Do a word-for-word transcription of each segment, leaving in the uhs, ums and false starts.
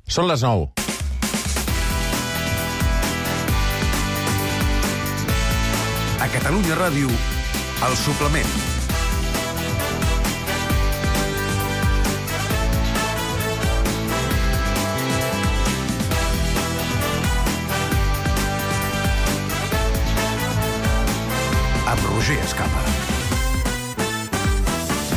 Són les nou. A Catalunya Ràdio, El Suplement. Amb Roger Escapa.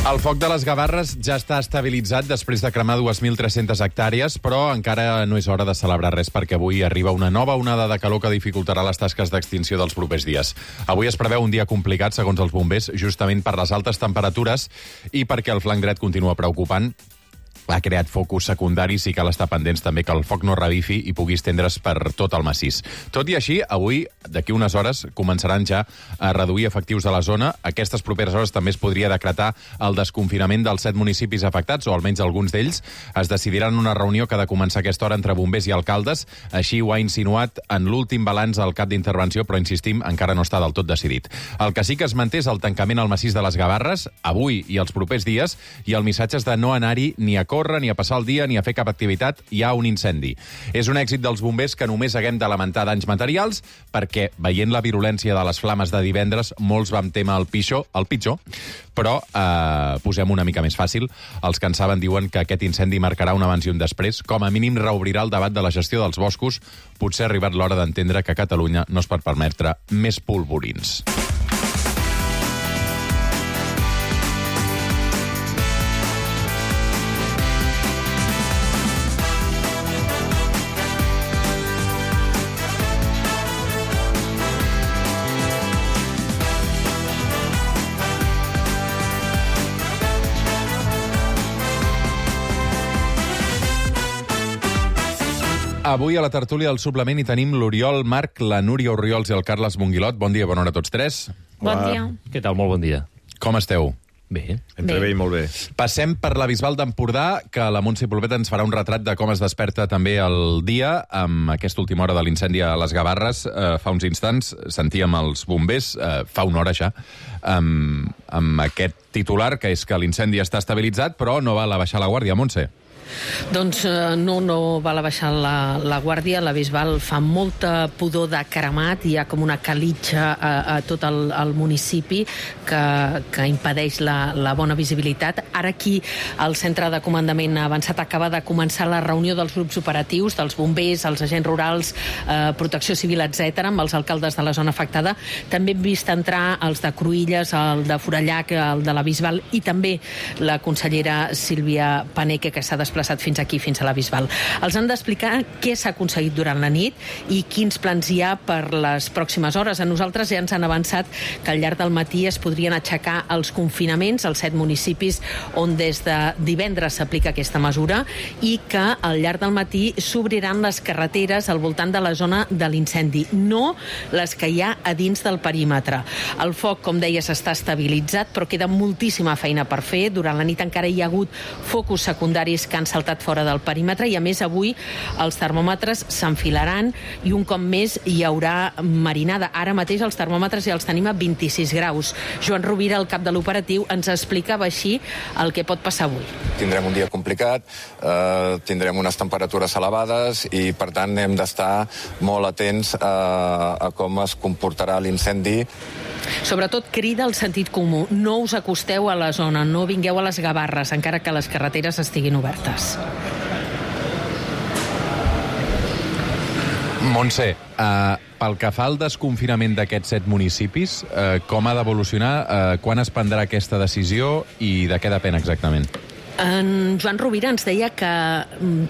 El foc de les Gavarres ja està estabilitzat després de cremar dos mil tres-centes hectàrees, però encara no és hora de celebrar res perquè avui arriba una nova onada de calor que dificultarà les tasques d'extinció dels propers dies. Avui es preveu un dia complicat, segons els bombers, justament per les altes temperatures i perquè el flanc dret continua preocupant. Ha creat focus secundaris i cal estar pendents també que el foc no revifi i pugui estendre's per tot el massís. Tot i així, avui, d'aquí unes hores, començaran ja a reduir efectius de la zona. Aquestes properes hores també es podria decretar el desconfinament dels set municipis afectats, o almenys alguns d'ells. Es decidirà en una reunió que ha de començar a aquesta hora entre bombers i alcaldes. Així ho ha insinuat en l'últim balanç al cap d'intervenció, però insistim, encara no està del tot decidit. El que sí que es manté és el tancament al massís de les Gavarres, avui i els propers dies, i el missatge és de no anar-hi ni a córrer, ni a passar el dia, ni a fer cap activitat. Hi ha un incendi. És un èxit dels bombers que només haguem de lamentar danys materials, perquè, veient la virulència de les flames de divendres, molts vam témer el pitjor, el pitjor, però eh, posem una mica més fàcil. Els que en saben diuen que aquest incendi marcarà un abans i un després. Com a mínim reobrirà el debat de la gestió dels boscos. Potser ha arribat l'hora d'entendre que a Catalunya no es pot permetre més polvorins. Avui a la tertúlia del Suplement hi tenim l'Oriol Marc, la Núria Orriols i el Carles Monguilot. Bon dia, bona hora a tots tres. Bon dia. Què tal? Molt bon dia. Com esteu? Bé. Entre bé i molt bé. Passem per la Bisbal d'Empordà, que la Montse Polpeta ens farà un retrat de com es desperta també el dia amb aquesta última hora de l'incendi a les Gavarres. Eh, fa uns instants sentíem els bombers, eh, fa una hora ja, amb, amb aquest titular, que és que l'incendi està estabilitzat, però no val a baixar la guàrdia, Montse. Doncs eh, no, no val a baixar la, la guàrdia. La Bisbal fa molta pudor de cremat, hi ha com una calitja a, a tot el, el municipi que, que impedeix la, la bona visibilitat. Ara aquí el centre de comandament avançat acaba de començar la reunió dels grups operatius, dels bombers, els agents rurals, eh, protecció civil, etcètera, amb els alcaldes de la zona afectada. També hem vist entrar els de Cruïlles, el de Forallac, el de la Bisbal i també la consellera Sílvia Paneque, que s'ha desplaçat fins aquí, fins a la Bisbal. Els han d'explicar què s'ha aconseguit durant la nit i quins plans hi ha per les pròximes hores. A nosaltres ja ens han avançat que al llarg del matí es podrien aixecar els confinaments als set municipis on des de divendres s'aplica aquesta mesura i que al llarg del matí s'obriran les carreteres al voltant de la zona de l'incendi, no les que hi ha a dins del perímetre. El foc, com deies, està estabilitzat, però queda moltíssima feina per fer. Durant la nit encara hi ha hagut focus secundaris que han saltat fora del perímetre i, a més, avui els termòmetres s'enfilaran i un cop més hi haurà marinada. Ara mateix els termòmetres ja els tenim a vint-i-sis graus. Joan Rovira, el cap de l'operatiu, ens explicava així el que pot passar avui. Tindrem un dia complicat, eh, tindrem unes temperatures elevades i, per tant, hem d'estar molt atents a, a com es comportarà l'incendi. Sobretot crida el sentit comú. No us acosteu a la zona, no vingueu a les Gavarres, encara que les carreteres estiguin obertes. Montse, eh, pel que fa al desconfinament d'aquests set municipis, eh, com ha d'evolucionar, eh, quan es prendrà aquesta decisió i de què depèn exactament? En Joan Rovira ens deia que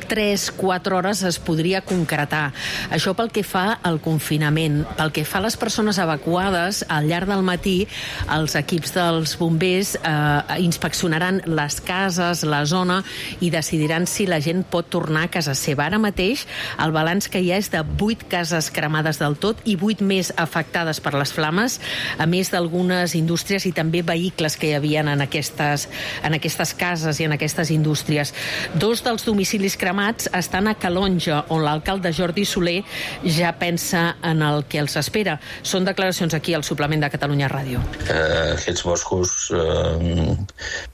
tres quatre hores es podria concretar. Això pel que fa al confinament. Pel que fa a les persones evacuades, al llarg del matí els equips dels bombers eh, inspeccionaran les cases, la zona, i decidiran si la gent pot tornar a casa seva. Ara mateix el balanç que hi ha és de vuit cases cremades del tot i vuit més afectades per les flames, a més d'algunes indústries i també vehicles que hi havia en aquestes, en aquestes cases i en aquestes indústries. Dos dels domicilis cremats estan a Calonja, on l'alcalde Jordi Soler ja pensa en el que els espera. Són declaracions aquí al suplement de Catalunya Ràdio. Eh, aquests boscos eh,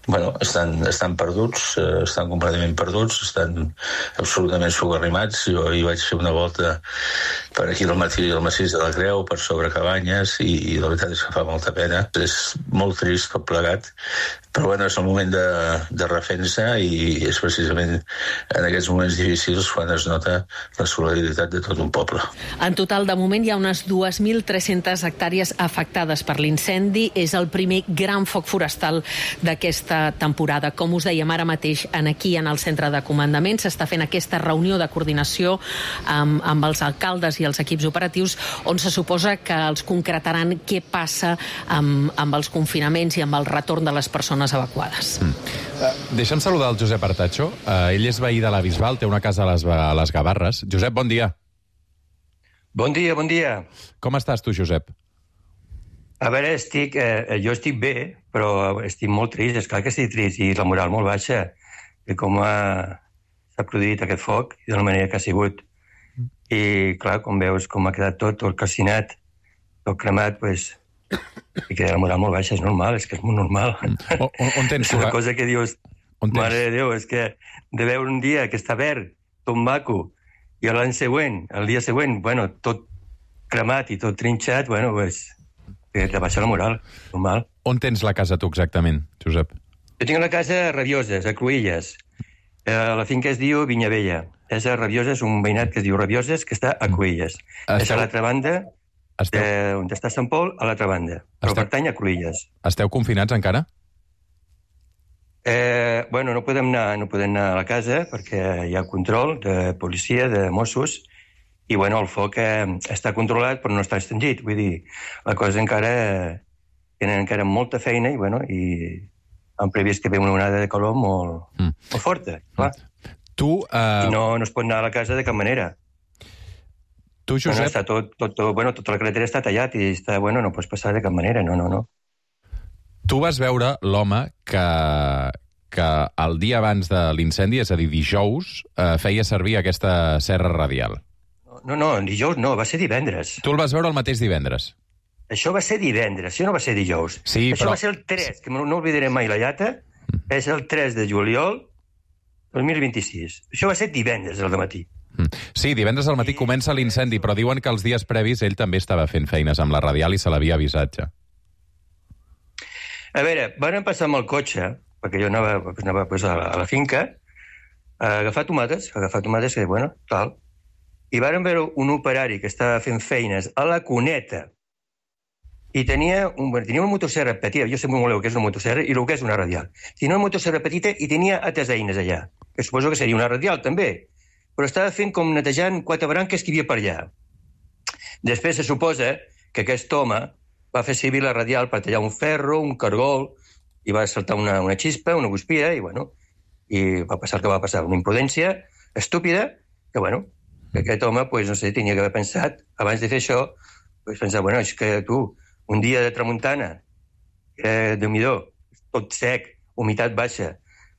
bueno, estan, estan perduts, eh, estan completament perduts, estan absolutament socarrimats. Jo hi vaig fer una volta per aquí al matí al massís de la Creu, per sobre Cabanyes, i, i la veritat és que fa molta pena. És molt trist tot plegat, però bueno, és el moment de, de refensa, i és precisament en aquests moments difícils quan es nota la solidaritat de tot un poble. En total, de moment, hi ha unes dues mil tres-centes hectàrees afectades per l'incendi. És el primer gran foc forestal d'aquesta temporada. Com us dèiem ara mateix, en aquí, en el centre de comandament, s'està fent aquesta reunió de coordinació amb, amb els alcaldes i els equips operatius, on se suposa que els concretaran què passa amb, amb els confinaments i amb el retorn de les persones evacuades. Mm. Uh, deixa'm saludar el Josep Artacho. Uh, ell és veí de la Bisbal, té una casa a les, a les Gavarres. Josep, bon dia. Bon dia, bon dia. Com estàs tu, Josep? A veure, estic, eh, jo estic bé, però estic molt trist, és clar que estic trist, i la moral molt baixa, de com ha, s'ha produït aquest foc i de la manera que ha sigut. I, clar, com veus com ha quedat tot, tot calcinat, tot cremat, doncs, i queda la moral molt baixa, és normal, és que és molt normal. On, on tens és una cosa que dius, mare de Déu, és que de veure un dia que està verd, tot maco, i l'any següent, el dia següent, bueno, tot cremat i tot trinxat, bueno, doncs, que te baixa la moral, normal. On tens la casa tu exactament, Josep? Jo tinc la casa a Rabioses, a Cruïlles. Eh, la finca es diu Vinyavella. És a Rabioses, un veïnat que es diu Rabioses, que està a Cruïlles. Esteu... És a l'altra banda, Esteu... de, on està Sant Pol, a l'altra banda. Però Esteu... pertany a Cruïlles. Esteu confinats encara? Eh, bueno, no podem, anar, no podem anar a la casa perquè hi ha control de policia, de Mossos, i bueno, el foc eh, està controlat però no està extingit. Vull dir, la cosa encara... Eh, tenen encara molta feina i, bueno, i han previst que ve una onada de calor molt, mm. molt forta, clar. Tu, uh... I no, no es pot anar a la casa de cap manera. Tu, Josep... No, no, està tot, tot, tot, bueno, tota la carretera està tallat i està, bueno, no pots passar de cap manera, no, no, no. Tu vas veure l'home que, que el dia abans de l'incendi, és a dir, dijous, eh, feia servir aquesta serra radial. No, no, dijous no, va ser divendres. Tu el vas veure el mateix divendres? Això va ser divendres, això no va ser dijous. Sí, això però... va ser el tres, que no oblidaré mai la llata, mm. és el tres de juliol del dos mil vint-i-sis. Això va ser divendres al matí. Mm. Sí, divendres al matí I... comença l'incendi, però diuen que els dies previs ell també estava fent feines amb la radial i se l'havia avisat ja. A veure, van passar amb el cotxe, perquè jo anava, anava pues, a, la, a la finca, a agafar tomates, a agafar tomates, que, bueno, tal, i varen veure un operari que estava fent feines a la cuneta i tenia, un, bueno, tenia una motosserra petita, jo sé molt el que és una motosserra i el que és una radial. Tenia una motosserra petita i tenia altres eines allà, que suposo que seria una radial també, però estava fent com netejant quatre branques que hi havia per allà. Després se suposa que aquest home va fer servir la radial per tallar un ferro, un cargol, i va saltar una, una xispa, una guspira, i bueno, i va passar el que va passar, una imprudència estúpida, que bueno, que aquest home, pues, no sé, tenia que haver pensat, abans de fer això, pues, pensar, bueno, és que tu, un dia de tramuntana, eh, Déu-n'hi-do, tot sec, humitat baixa.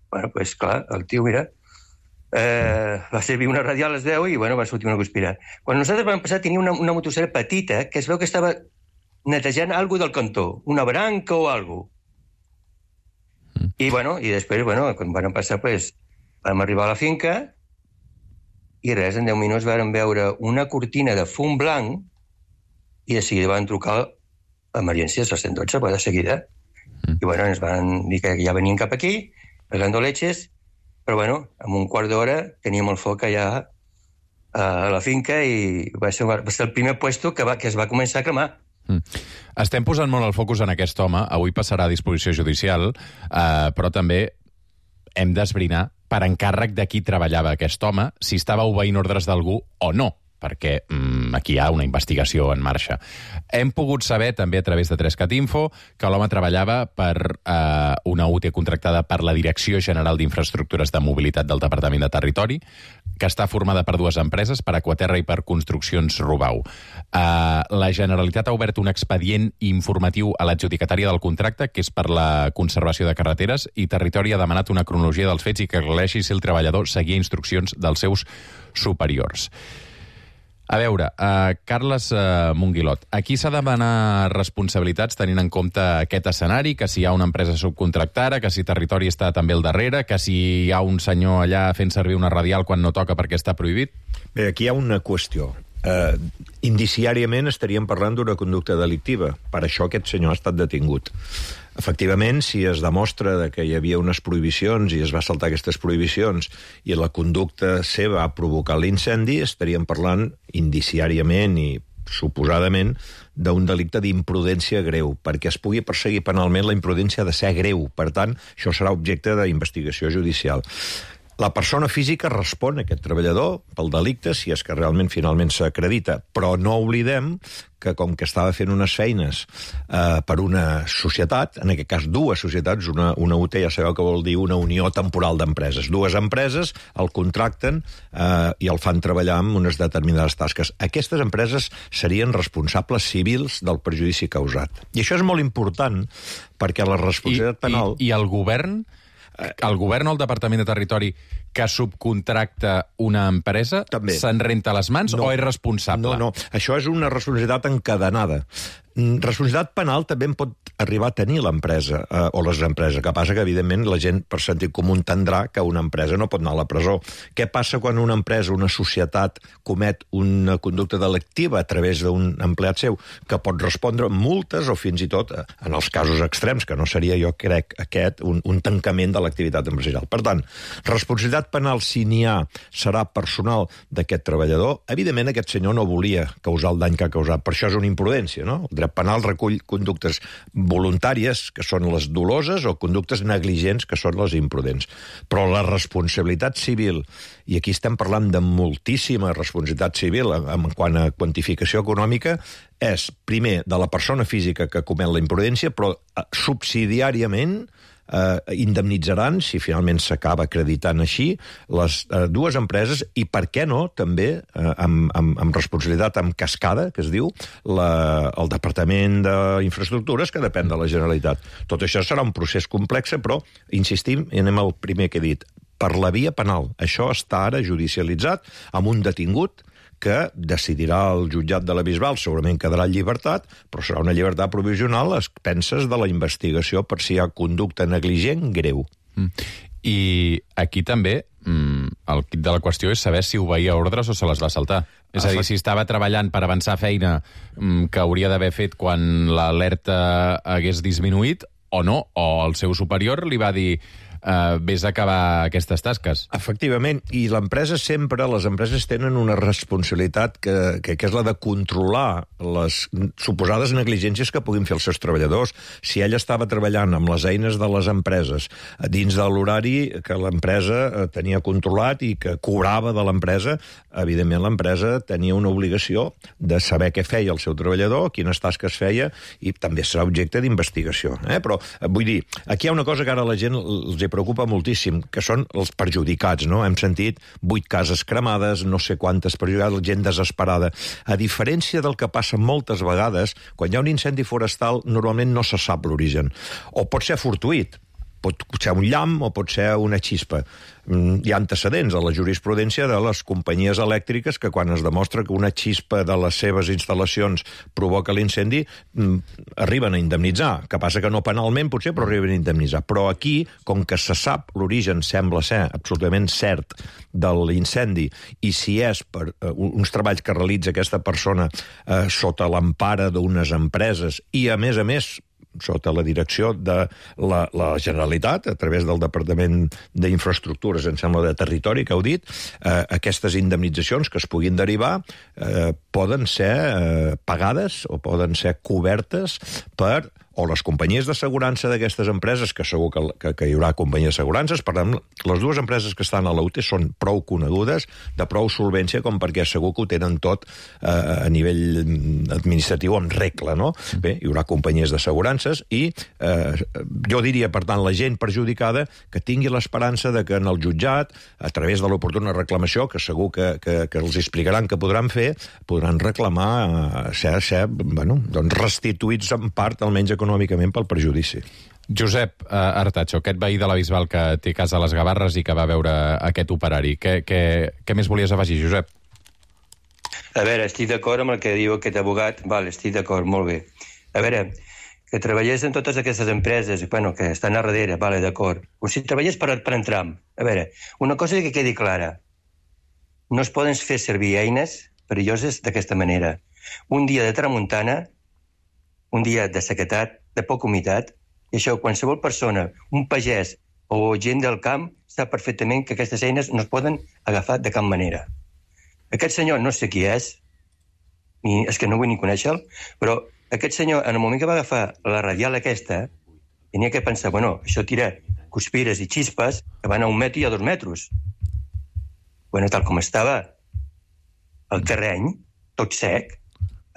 Bueno, pues clar, el tio, mira, eh, va servir una radial a les deu i, bueno, va sortir una guspira. Quan nosaltres vam passar, tenia una, una motosserra petita que es veu que estava netejant alguna del cantó, una branca o alguna cosa. I, bueno, i després, bueno, quan vam passar, pues, vam arribar a la finca i res, en deu minuts vam veure una cortina de fum blanc i de seguida van trucar emergències al cent dotze, de seguida. Mm. I, bueno, ens van dir que ja venien cap aquí, pegando leches, però, bueno, en un quart d'hora teníem el foc allà a la finca i va ser, va ser el primer puesto que, va, que es va començar a cremar. Mm. Estem posant molt el focus en aquest home, avui passarà a disposició judicial, eh, però també hem d'esbrinar per encàrrec de qui treballava aquest home, si estava obeint ordres d'algú o no, perquè mm, aquí hi ha una investigació en marxa. Hem pogut saber, també a través de tres cat info, que l'home treballava per eh, una U T contractada per la Direcció General d'Infraestructures de Mobilitat del Departament de Territori, que està formada per dues empreses, per Aquaterra i per Construccions Rubau. Uh, la Generalitat ha obert un expedient informatiu a l'adjudicatària del contracte, que és per la conservació de carreteres, i Territori ha demanat una cronologia dels fets i que aclareixi si el treballador seguia instruccions dels seus superiors. A veure, uh, Carles uh, Monguilot, aquí s'ha de demanar responsabilitats tenint en compte aquest escenari, que si hi ha una empresa subcontractada, que si Territori està també al darrere, que si hi ha un senyor allà fent servir una radial quan no toca perquè està prohibit? Bé, aquí hi ha una qüestió. Uh, indiciàriament estaríem parlant d'una conducta delictiva. Per això aquest senyor ha estat detingut. Efectivament, si es demostra que hi havia unes prohibicions i es va saltar aquestes prohibicions i la conducta seva ha provocat l'incendi, estaríem parlant indiciàriament i suposadament d'un delicte d'imprudència greu. Perquè es pugui perseguir penalment, la imprudència ha de ser greu. Per tant, això serà objecte d'investigació judicial. La persona física respon a aquest treballador pel delicte si és que realment finalment s'acredita, però no oblidem que com que estava fent unes feines eh, per una societat, en aquest cas dues societats, una, una U T, ja sabeu que vol dir una unió temporal d'empreses. Dues empreses el contracten eh, i el fan treballar amb unes determinades tasques. Aquestes empreses serien responsables civils del perjudici causat. I això és molt important perquè la responsabilitat I, penal... I, i el govern... El govern o el Departament de Territori que subcontracta una empresa se'n renta les mans no, o és responsable? No, no, això és una responsabilitat encadenada. Responsabilitat penal també en pot arribar a tenir l'empresa, eh, o les empreses. Que passa que, evidentment, la gent per sentit comú entendrà que una empresa no pot anar a la presó. Què passa quan una empresa, una societat, comet una conducta delictiva a través d'un empleat seu, que pot respondre multes o fins i tot, en els casos extrems, que no seria, jo crec, aquest, un, un tancament de l'activitat empresarial. Per tant, responsabilitat penal, si n'hi ha, serà personal d'aquest treballador. Evidentment, aquest senyor no volia causar el dany que ha causat. Per això és una imprudència, no? El dret penal recull conductes voluntàries, que són les doloses, o conductes negligents, que són les imprudents. Però la responsabilitat civil, i aquí estem parlant de moltíssima responsabilitat civil en quant a quantificació econòmica, és, primer, de la persona física que comet la imprudència, però subsidiàriament eh, indemnitzaran, si finalment s'acaba acreditant així, les eh, dues empreses i, per què no, també, eh, amb, amb, amb responsabilitat amb cascada, que es diu, la, el Departament d'Infraestructures, que depèn de la Generalitat. Tot això serà un procés complex, però, insistim, i anem al primer que he dit, per la via penal. Això està ara judicialitzat amb un detingut que decidirà el jutjat de la Bisbal, segurament quedarà en llibertat, però serà una llibertat provisional a expenses de la investigació per si hi ha conducta negligent greu. Mm. I aquí també mm, el quid de la qüestió és saber si obeïa ordres o se les va saltar. És a dir, si estava treballant per avançar feina mm, que hauria d'haver fet quan l'alerta hagués disminuït o no, o el seu superior li va dir Uh, vés a acabar aquestes tasques. Efectivament, i l'empresa sempre, les empreses tenen una responsabilitat que, que, que és la de controlar les suposades negligències que puguin fer els seus treballadors. Si ell estava treballant amb les eines de les empreses dins de l'horari que l'empresa tenia controlat i que cobrava de l'empresa, evidentment l'empresa tenia una obligació de saber què feia el seu treballador, quines tasques feia, i també serà objecte d'investigació. Eh? Però, vull dir, aquí hi ha una cosa que ara la gent els hi preocupa moltíssim, que són els perjudicats, no? Hem sentit vuit cases cremades, no sé quantes perjudicades, gent desesperada. A diferència del que passa moltes vegades, quan hi ha un incendi forestal, normalment no se sap l'origen. O pot ser fortuït, pot ser un llamp o pot ser una xispa. Hi ha antecedents a la jurisprudència de les companyies elèctriques que quan es demostra que una xispa de les seves instal·lacions provoca l'incendi, arriben a indemnitzar. Que passa que no penalment, potser, però arriben a indemnitzar. Però aquí, com que se sap l'origen, sembla ser absolutament cert de l'incendi, i si és per uh, uns treballs que realitza aquesta persona uh, sota l'empara d'unes empreses i, a més a més, sota la direcció de la, la Generalitat, a través del Departament d'Infraestructures, em sembla, de Territori, que heu dit, eh, aquestes indemnitzacions que es puguin derivar eh, poden ser eh, pagades o poden ser cobertes per o les companyies d'assegurança d'aquestes empreses, que segur que, que, que hi haurà companyies d'assegurances, per tant, les dues empreses que estan a l'U T E són prou conegudes, de prou solvència, com perquè segur que ho tenen tot eh, a nivell administratiu amb regla, no? Bé, hi haurà companyies d'assegurances i eh, jo diria, per tant, la gent perjudicada que tingui l'esperança de que en el jutjat, a través de l'oportuna reclamació, que segur que, que, que els explicaran que podran fer, podran reclamar ser, ser bueno, doncs restituïts en part, almenys econòmicament, pel perjudici. Josep uh, Artacho, aquest veí de la Bisbal que té casa a les Gavarres i que va veure aquest operari. Què, què, què més volies afegir, Josep? A veure, estic d'acord amb el que diu aquest abogat. Val, estic d'acord, molt bé. A veure, que treballés en totes aquestes empreses, bueno, que estan a darrere, vale, d'acord. Com si treballés per, per entrar. A veure, una cosa que quedi clara. No es poden fer servir eines perilloses d'aquesta manera. Un dia de tramuntana, un dia de sequedat, de poca humitat, i això qualsevol persona, un pagès o gent del camp, sap perfectament que aquestes eines no es poden agafar de cap manera. Aquest senyor no sé qui és, ni, és que no vull ni conèixer-lo, però aquest senyor, en el moment que va agafar la radial aquesta, tenia que pensar, bueno, això tira cuspires i xispes que van a un metre i a dos metres. Bueno, tal com estava el terreny, tot sec,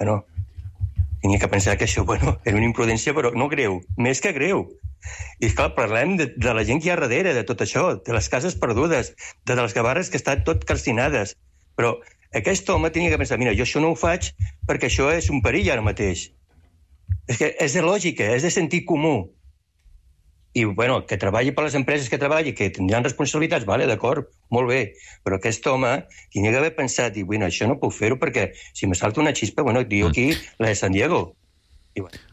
bueno, tenia que pensar que això, bueno, era una imprudència, però no greu, més que greu. I, esclar, parlem de, de la gent que hi ha darrere, de tot això, de les cases perdudes, de les Gavarres que estan tot calcinades. Però aquest home tenia que pensar, mira, jo això no ho faig perquè això és un perill ara mateix. És que és de lògica, és de sentit comú. I, bueno, que treballi per les empreses que treballi, que tindran responsabilitats, vale, d'acord, molt bé, però aquest home tenia que haver pensat, i, bueno, això no puc fer-ho perquè si me salta una xispa, bueno, diu aquí la de San Diego. I, bueno.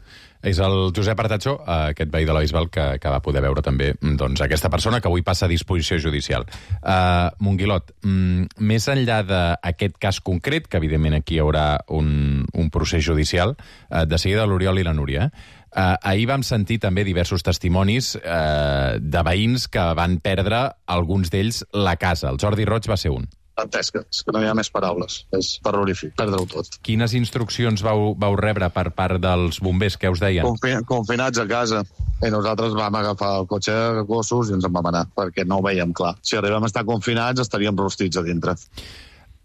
És el Josep Artacho, aquest veí de la Bisbal, que, que va poder veure també doncs, aquesta persona que avui passa a disposició judicial. Uh, Monguilot, mm, més enllà d'aquest cas concret, que evidentment aquí hi haurà un, un procés judicial, uh, de seguida l'Oriol i la Núria, eh? Uh, ahir vam sentir també diversos testimonis uh, de veïns que van perdre, alguns d'ells, la casa. El Jordi Roig va ser un. Dantesca, és que no hi ha més paraules. És terrorífic, perdre-ho tot. Quines instruccions vau, vau rebre per part dels bombers? Què us deien? Confi confinats a casa. I nosaltres vam agafar el cotxe de gossos i ens en vam anar, perquè no ho veiem clar. Si arribem a estar confinats, estaríem rostits a dintre.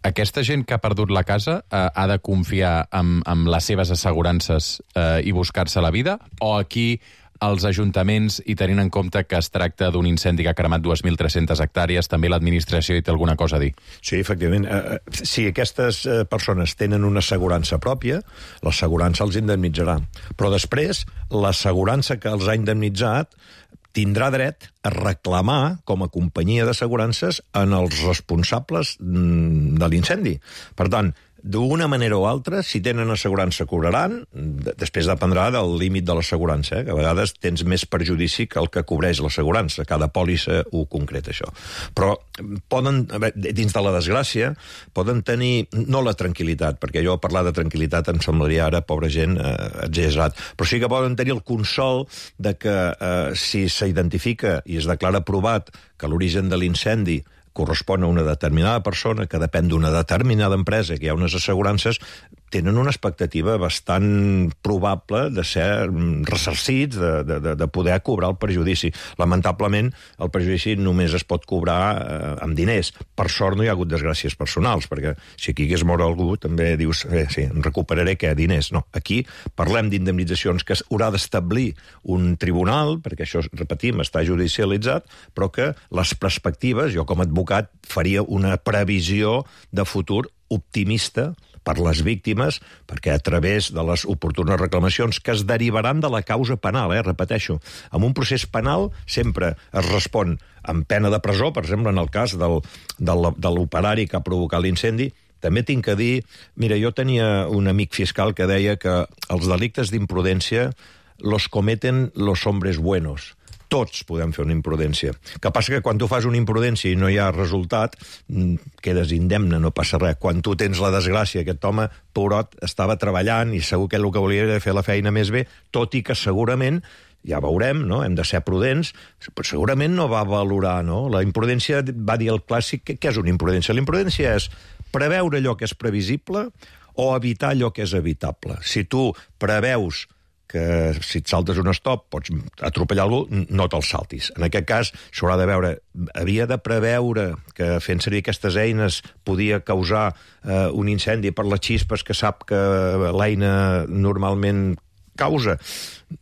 Aquesta gent que ha perdut la casa eh, ha de confiar en, en les seves assegurances eh, i buscar-se la vida? O aquí els ajuntaments, i tenint en compte que es tracta d'un incendi que ha cremat dues mil tres-centes hectàrees, també l'administració hi té alguna cosa a dir? Sí, efectivament. Eh, si aquestes eh, persones tenen una assegurança pròpia, l'assegurança els indemnitzarà. Però després, l'assegurança que els ha indemnitzat tindrà dret a reclamar, com a companyia d'assegurances, en els responsables de l'incendi. Per tant, d'una manera o altra, si tenen assegurança, cobraran, després dependrà del límit de l'assegurança, eh? que a vegades tens més perjudici que el que cobreix l'assegurança, cada pòlissa ho concreta, això. Però poden, dins de la desgràcia, poden tenir, no la tranquil·litat, perquè jo parlar de tranquil·litat em semblaria ara, pobra gent, eh, exagerat, però sí que poden tenir el consol de que eh, si s'identifica i es declara provat que l'origen de l'incendi correspon a una determinada persona, que depèn d'una determinada empresa, que hi ha unes assegurances, tenen una expectativa bastant probable de ser ressarcits, de, de, de poder cobrar el perjudici. Lamentablement, el perjudici només es pot cobrar eh, amb diners. Per sort no hi ha hagut desgràcies personals, perquè si aquí hagués mort algú també dius, eh, sí, em recuperaré què? Diners. No, aquí parlem d'indemnitzacions que haurà d'establir un tribunal, perquè això, repetim, està judicialitzat, però que les perspectives, jo com a advocat faria una previsió de futur optimista per les víctimes, perquè a través de les oportunes reclamacions que es derivaran de la causa penal, eh, repeteixo, en un procés penal sempre es respon amb pena de presó, per exemple, en el cas del, del, de l'operari que ha provocat l'incendi. També tinc que dir, mira, jo tenia un amic fiscal que deia que els delictes d'imprudència los cometen los hombres buenos. Tots podem fer una imprudència. Que passa que quan tu fas una imprudència i no hi ha resultat, quedes indemne, no passa res. Quan tu tens la desgràcia, aquest home, pobrot, estava treballant i segur que el que volia era fer la feina més bé, tot i que segurament, ja veurem, no? Hem de ser prudents, però segurament no va valorar, no? La imprudència, va dir el clàssic, què és una imprudència? La imprudència és preveure allò que és previsible o evitar allò que és evitable. Si tu preveus que si et saltes un stop pots atropellar algú, no te'l saltis. En aquest cas s'haurà de veure, havia de preveure que fent servir aquestes eines podia causar eh, un incendi per les xispes que sap que l'eina normalment causa,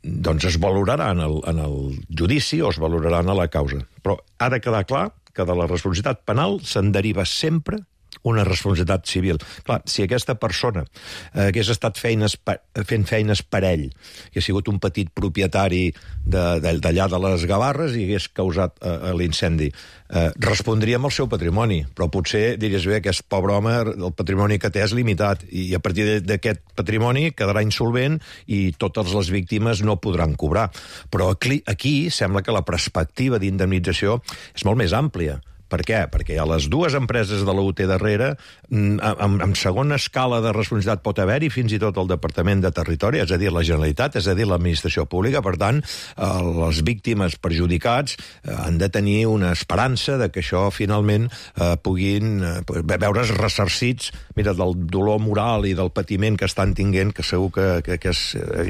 doncs es valorarà en el, en el judici o es valorarà en la causa. Però ha de quedar clar que de la responsabilitat penal se'n deriva sempre una responsabilitat civil. Clar, si aquesta persona eh, hagués estat feines per, fent feines per ell, que ha sigut un petit propietari d'allà de, de, de les Gavarres i hagués causat eh, l'incendi, eh, respondria amb el seu patrimoni, però potser diries, bé, aquest pobre home, el patrimoni que té és limitat, i a partir d'aquest patrimoni quedarà insolvent i totes les víctimes no podran cobrar. Però aquí, aquí sembla que la perspectiva d'indemnització és molt més àmplia. Per què? Perquè hi ha les dues empreses de la U T darrere, amb, amb segona escala de responsabilitat pot haver-hi fins i tot el Departament de Territori, és a dir, la Generalitat, és a dir, l'administració pública. Per tant, eh, les víctimes perjudicats eh, han de tenir una esperança de que això finalment eh, puguin eh, veure's ressarcits, mira, del dolor moral i del patiment que estan tinguent, que segur que, que, que és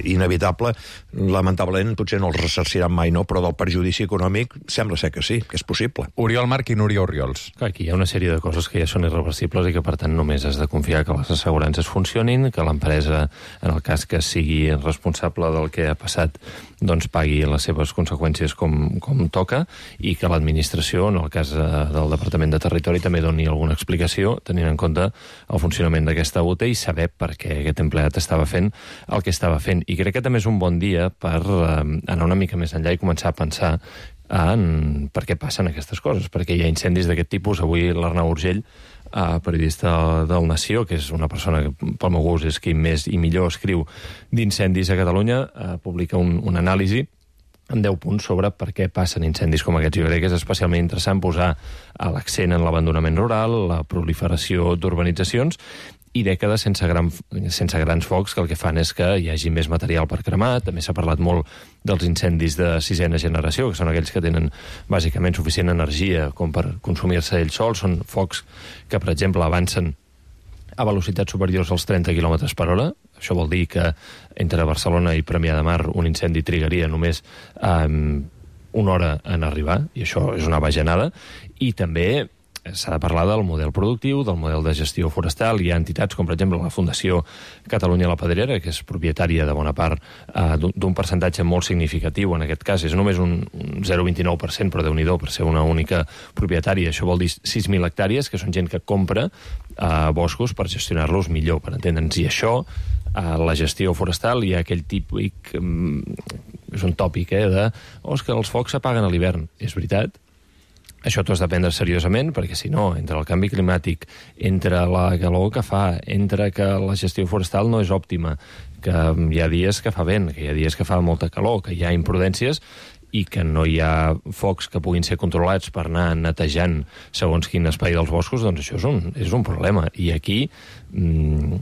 inevitable. Lamentablement, potser no els ressarciran mai, no? Però del perjudici econòmic sembla ser que sí, que és possible. Oriol Marc i Núria Oriols. Clar, aquí hi ha una sèrie de coses que ja són irreversibles i que, per tant, només has de confiar que les assegurances funcionin, que l'empresa, en el cas que sigui responsable del que ha passat, doncs pagui les seves conseqüències com, com toca, i que l'administració, en el cas del Departament de Territori, també doni alguna explicació, tenint en compte el funcionament d'aquesta U T i saber per què aquest empleat estava fent el que estava fent. I crec que també és un bon dia per eh, anar una mica més enllà i començar a pensar en per què passen aquestes coses, perquè hi ha incendis d'aquest tipus. Avui l'Arnau Urgell, eh, periodista del Nació, que és una persona que pel meu gust és qui més i millor escriu d'incendis a Catalunya, eh, publica un, un anàlisi en deu punts sobre per què passen incendis com aquests. Jo crec que és especialment interessant posar l'accent en l'abandonament rural, la proliferació d'urbanitzacions i dècades sense, gran, sense grans focs, que el que fan és que hi hagi més material per cremar. També s'ha parlat molt dels incendis de sisena generació, que són aquells que tenen bàsicament suficient energia com per consumir-se ells sols. Són focs que, per exemple, avancen a velocitats superiors als trenta quilòmetres per hora. Això vol dir que entre Barcelona i Premià de Mar un incendi trigaria només eh, una hora en arribar, i això és una bajanada. I també s'ha de parlar del model productiu, del model de gestió forestal. Hi ha entitats com, per exemple, la Fundació Catalunya la Pedrera, que és propietària de bona part eh, d'un percentatge molt significatiu. En aquest cas és només un, un zero coma vint-i-nou per cent, però Déu-n'hi-do per ser una única propietària. Això vol dir sis mil hectàrees, que són gent que compra eh, boscos per gestionar-los millor, per entendre'ns. I això, eh, la gestió forestal, hi ha aquell típic, eh, és un tòpic, eh, de oh, és que els focs s'apaguen a l'hivern. És veritat. Això t'ho has de prendre seriosament, perquè si no, entre el canvi climàtic, entre la calor que fa, entre que la gestió forestal no és òptima, que hi ha dies que fa vent, que hi ha dies que fa molta calor, que hi ha imprudències i que no hi ha focs que puguin ser controlats per anar netejant segons quin espai dels boscos, doncs això és un, és un problema. I aquí mmm,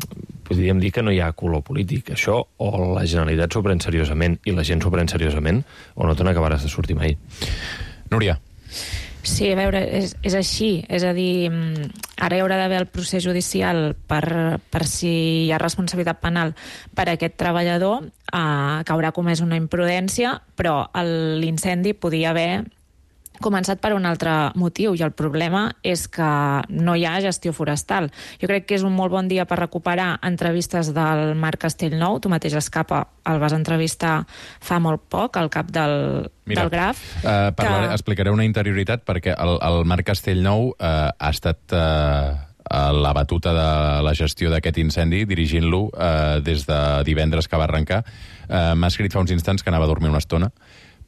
podríem dir que no hi ha color polític. Això o la Generalitat s'ho pren seriosament i la gent s'ho pren seriosament, o no te n'acabaràs de sortir mai. Núria. Sí, a veure, és, és així. És a dir, ara hi haurà d'haver el procés judicial per, per si hi ha responsabilitat penal per a aquest treballador, eh, que haurà comès una imprudència, però l'incendi podia haver començat per un altre motiu, i el problema és que no hi ha gestió forestal. Jo crec que és un molt bon dia per recuperar entrevistes del Marc Castellnou. Tu mateix, Escapa, el vas entrevistar fa molt poc, al cap del, Mira, del Graf. Uh, parlaré, que... Explicaré una interioritat, perquè el, el Marc Castellnou uh, ha estat... Uh... a la batuta de la gestió d'aquest incendi, dirigint-lo eh, des de divendres que va arrencar. Eh, M'ha escrit fa uns instants que anava a dormir una estona,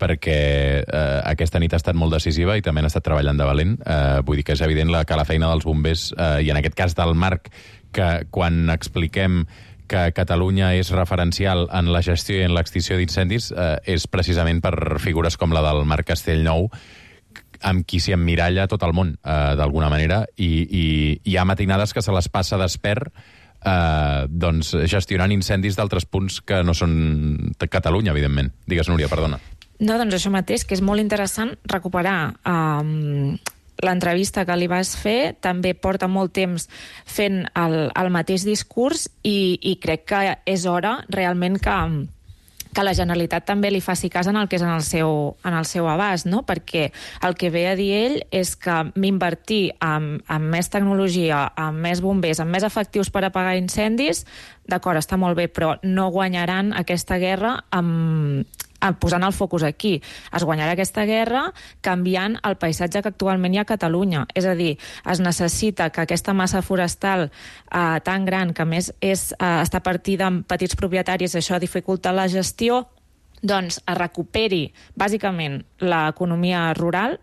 perquè eh, aquesta nit ha estat molt decisiva i també han estat treballant de valent. Eh, vull dir que és evident la, que la feina dels bombers, eh, i en aquest cas del Marc, que quan expliquem que Catalunya és referencial en la gestió i en l'extinció d'incendis, eh, és precisament per figures com la del Marc Castellnou, amb qui s'hi emmiralla tot el món, eh, d'alguna manera, i, i hi ha matinades que se les passa despert eh, doncs, gestionant incendis d'altres punts que no són de Catalunya, evidentment. Digues, Núria, perdona. No, doncs això mateix, que és molt interessant recuperar um, l'entrevista que li vas fer. També porta molt temps fent el, el mateix discurs i, i crec que és hora realment que... que la Generalitat també li faci cas en el que és en el seu, en el seu abast, no? Perquè el que ve a dir ell és que invertir en, en més tecnologia, en més bombers, en més efectius per apagar incendis, d'acord, està molt bé, però no guanyaran aquesta guerra amb, posant el focus aquí. Es guanyarà aquesta guerra canviant el paisatge que actualment hi ha a Catalunya. És a dir, es necessita que aquesta massa forestal eh, tan gran, que a més és, eh, està partida en petits propietaris, això dificulta la gestió, doncs es recuperi bàsicament l'economia rural,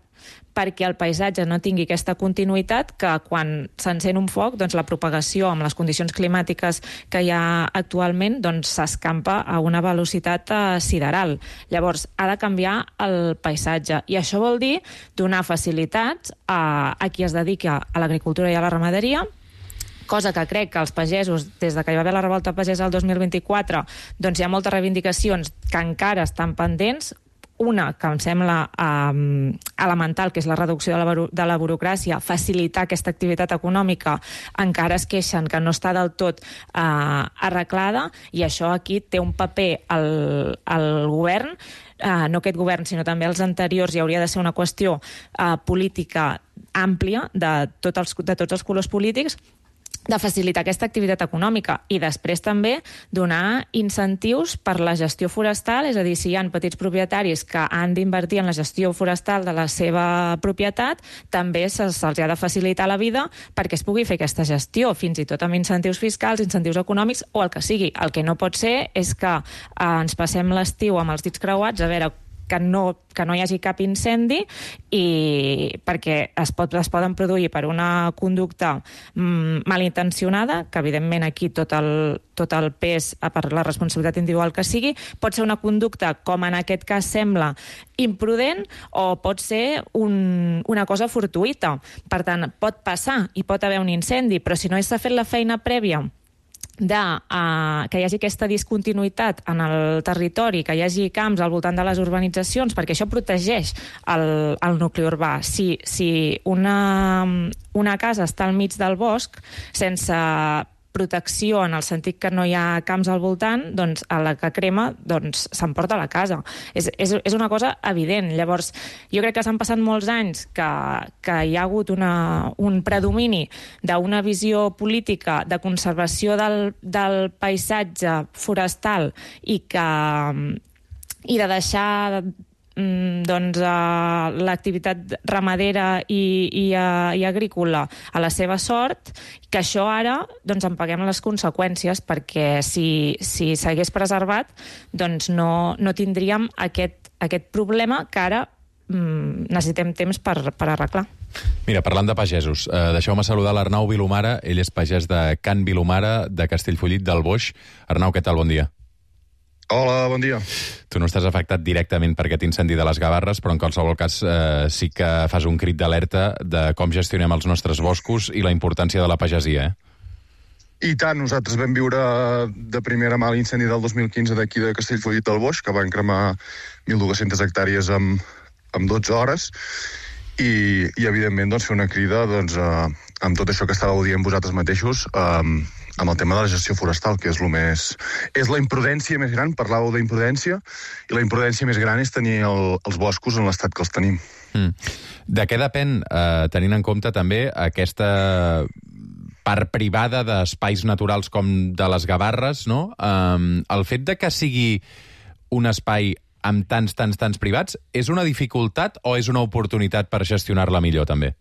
perquè el paisatge no tingui aquesta continuïtat, que quan s'encén un foc, doncs la propagació amb les condicions climàtiques que hi ha actualment doncs s'escampa a una velocitat eh, sideral. Llavors, ha de canviar el paisatge. I això vol dir donar facilitats a, a qui es dedica a l'agricultura i a la ramaderia, cosa que crec que els pagesos, des de que hi va haver la revolta pagesa el dos mil vint-i-quatre, doncs hi ha moltes reivindicacions que encara estan pendents. Una que em sembla um, elemental, que és la reducció de la, de la burocràcia, facilitar aquesta activitat econòmica, encara es queixen que no està del tot uh, arreglada, i això aquí té un paper al, al govern, uh, no aquest govern, sinó també els anteriors, i hauria de ser una qüestió uh, política àmplia de, tot els, de tots els colors polítics, de facilitar aquesta activitat econòmica i després també donar incentius per la gestió forestal, és a dir, si hi ha petits propietaris que han d'invertir en la gestió forestal de la seva propietat, també se'ls ha de facilitar la vida perquè es pugui fer aquesta gestió, fins i tot amb incentius fiscals, incentius econòmics o el que sigui. El que no pot ser és que eh, ens passem l'estiu amb els dits creuats a veure que no, que no hi hagi cap incendi, i perquè es, pot, es poden produir per una conducta mm, malintencionada, que evidentment aquí tot el, tot el pes per la responsabilitat individual que sigui, pot ser una conducta, com en aquest cas sembla, imprudent, o pot ser un, una cosa fortuïta. Per tant, pot passar i pot haver un incendi, però si no s'ha fet la feina prèvia de uh, que hi hagi aquesta discontinuïtat en el territori, que hi hagi camps al voltant de les urbanitzacions, perquè això protegeix el, el nucli urbà. Si, si una, una casa està al mig del bosc, sense protecció en el sentit que no hi ha camps al voltant, doncs a la que crema doncs s'emporta la casa. És, és, és una cosa evident. Llavors, jo crec que s'han passat molts anys que, que hi ha hagut una, un predomini d'una visió política de conservació del, del paisatge forestal i que i de deixar doncs, uh, l'activitat ramadera i, i, uh, i agrícola a la seva sort, que això ara doncs, en paguem les conseqüències, perquè si, si s'hagués preservat doncs no, no tindríem aquest, aquest problema que ara um, necessitem temps per, per arreglar. Mira, parlant de pagesos, eh, deixeu-me saludar l'Arnau Vilomara. Ell és pagès de Can Vilomara, de Castellfollit del Boix. Arnau, què tal? Bon dia. Hola, bon dia. Tu no estàs afectat directament per aquest incendi de les Gavarres, però en qualsevol cas eh, sí que fas un crit d'alerta de com gestionem els nostres boscos i la importància de la pagesia, eh? I tant, nosaltres vam viure de primera mà l'incendi del dos mil quinze d'aquí de Castellfollit del Boix, que van cremar mil dues-centes hectàrees en, en dotze hores, i, i evidentment doncs, fer una crida doncs, eh, amb tot això que estàveu dient vosaltres mateixos, eh, amb el tema de la gestió forestal, que és, lo més, és la imprudència més gran. Parlàveu d'imprudència, i la imprudència més gran és tenir el, els boscos en l'estat que els tenim. Mm. De què depèn, eh, tenint en compte també aquesta part privada d'espais naturals com de les Gavarres, no? Um, el fet de que sigui un espai amb tants, tants, tants privats, és una dificultat o és una oportunitat per gestionar-la millor, també?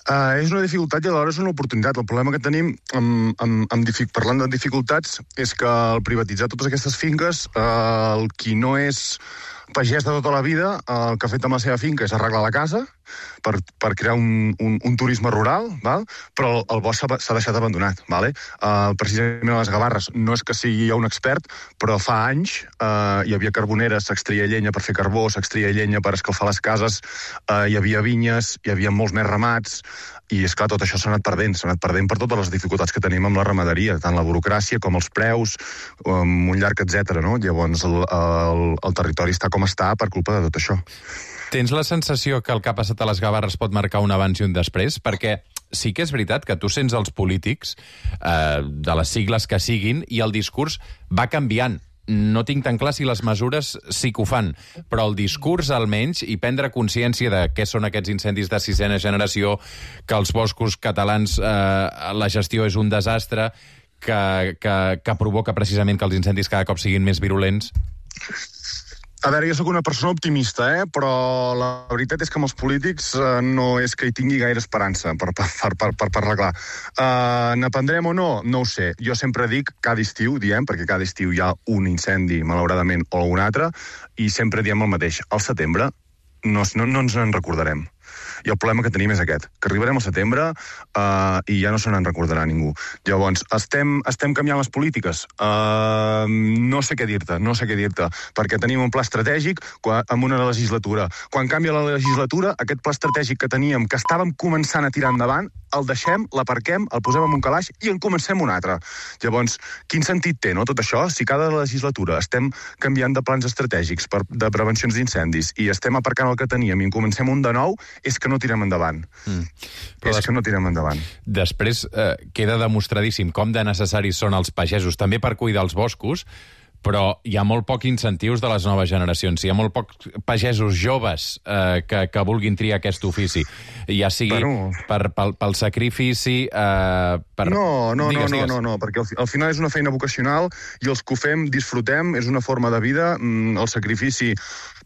Uh, és una dificultat i alhora és una oportunitat. El problema que tenim, amb, amb, amb, parlant de dificultats, és que al privatitzar totes aquestes finques, uh, el qui no és pagès de tota la vida, uh, el que ha fet amb la seva finca és arreglar la casa per, per crear un, un, un turisme rural, val? Però el, el bosc s'ha deixat abandonat. Vale? Uh, precisament a les Gavarres no és que sigui un expert, però fa anys uh, hi havia carboneres, s'extreia llenya per fer carbó, s'extreia llenya per escalfar les cases, uh, hi havia vinyes, hi havia molts més ramats, i és clar, tot això s'ha anat perdent, s'ha anat perdent per totes les dificultats que tenim amb la ramaderia, tant la burocràcia com els preus, um, un llarg etcètera, no? Llavors el, el, el territori està com està per culpa de tot això. Tens la sensació que el que ha passat a les Gavarres pot marcar un abans i un després? Perquè sí que és veritat que tu sents els polítics, eh, de les sigles que siguin, i el discurs va canviant. no tinc tan clar si les mesures sí que ho fan, però el discurs almenys, i prendre consciència de què són aquests incendis de sisena generació, que els boscos catalans, eh, la gestió és un desastre, que, que, que provoca precisament que els incendis cada cop siguin més virulents? A veure, jo sóc una persona optimista, eh? Però la veritat és que amb els polítics eh, no és que hi tingui gaire esperança per, per, per, per parlar clar. Uh, N'aprendrem o no? No ho sé. Jo sempre dic, cada estiu, diem, perquè cada estiu hi ha un incendi, malauradament, o un altre, i sempre diem el mateix. Al setembre no, no, no ens en recordarem. I el problema que tenim és aquest, que arribarem al setembre uh, i ja no se n'en recordarà ningú. Llavors, estem, estem canviant les polítiques? Uh, no sé què dir-te, no sé què dir-te, perquè tenim un pla estratègic en una legislatura. Quan canvia la legislatura, aquest pla estratègic que teníem, que estàvem començant a tirar endavant, el deixem, l'aparquem, el posem en un calaix i en comencem un altre. Llavors, quin sentit té, no, tot això? Si cada legislatura estem canviant de plans estratègics per, de prevencions d'incendis i estem aparcant el que teníem i en comencem un de nou, és que no tirem endavant. Mm. Però és des... que no tirem endavant. Després eh, queda demostradíssim com de necessaris són els pagesos, també per cuidar els boscos, però hi ha molt poc incentius de les noves generacions. Hi ha molt pocs pagesos joves eh, que, que vulguin triar aquest ofici. Ja sigui bueno... per, pel, pel sacrifici... Eh, per... No, no, digues, no, digues. no, no, no, perquè al, al final és una feina vocacional i els que ho fem disfrutem, és una forma de vida, el sacrifici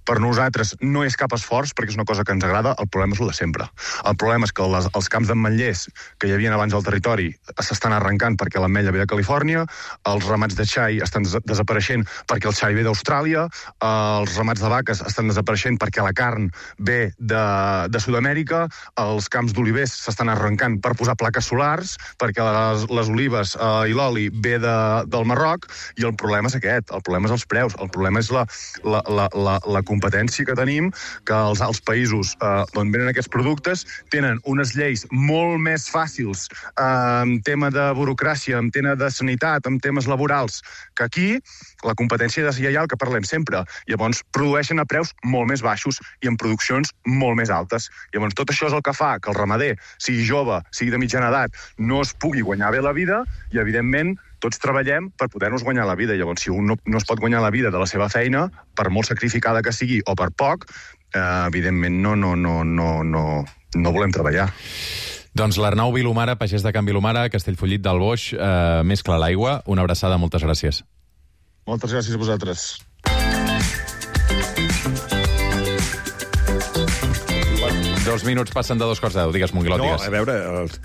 per nosaltres no és cap esforç, perquè és una cosa que ens agrada, el problema és el de sempre. El problema és que les, els camps d'ametllers que hi havia abans al territori s'estan arrencant perquè l'ametlla ve de Califòrnia, els ramats de xai estan des desapareixent perquè el xai ve d'Austràlia, els ramats de vaques estan desapareixent perquè la carn ve de, de Sud-amèrica, els camps d'olivers s'estan arrencant per posar plaques solars, perquè les, les olives eh, i l'oli ve de, del Marroc, i el problema és aquest, el problema és els preus, el problema és la, la, la, la, la competència que tenim, que els alts països eh, d'on venen aquests productes tenen unes lleis molt més fàcils eh, en tema de burocràcia, en tema de sanitat, en temes laborals, que aquí la competència deslleial que parlem sempre. Llavors, produeixen a preus molt més baixos i en produccions molt més altes. Llavors, tot això és el que fa que el ramader, sigui jove, sigui de mitjana edat, no es pugui guanyar bé la vida i, evidentment, tots treballem per poder-nos guanyar la vida. Llavors, si un no, no es pot guanyar la vida de la seva feina, per molt sacrificada que sigui o per poc, eh, evidentment no, no, no, no, no, no volem treballar. Doncs l'Arnau Vilomara, pagès de Can Vilomara, Castellfollit del Boix, eh, més clar l'aigua. Una abraçada, moltes gràcies. Moltes gràcies a vosaltres. Dos minuts passen de dos quarts de deu. Digues, Monguilot, no, digues. A veure,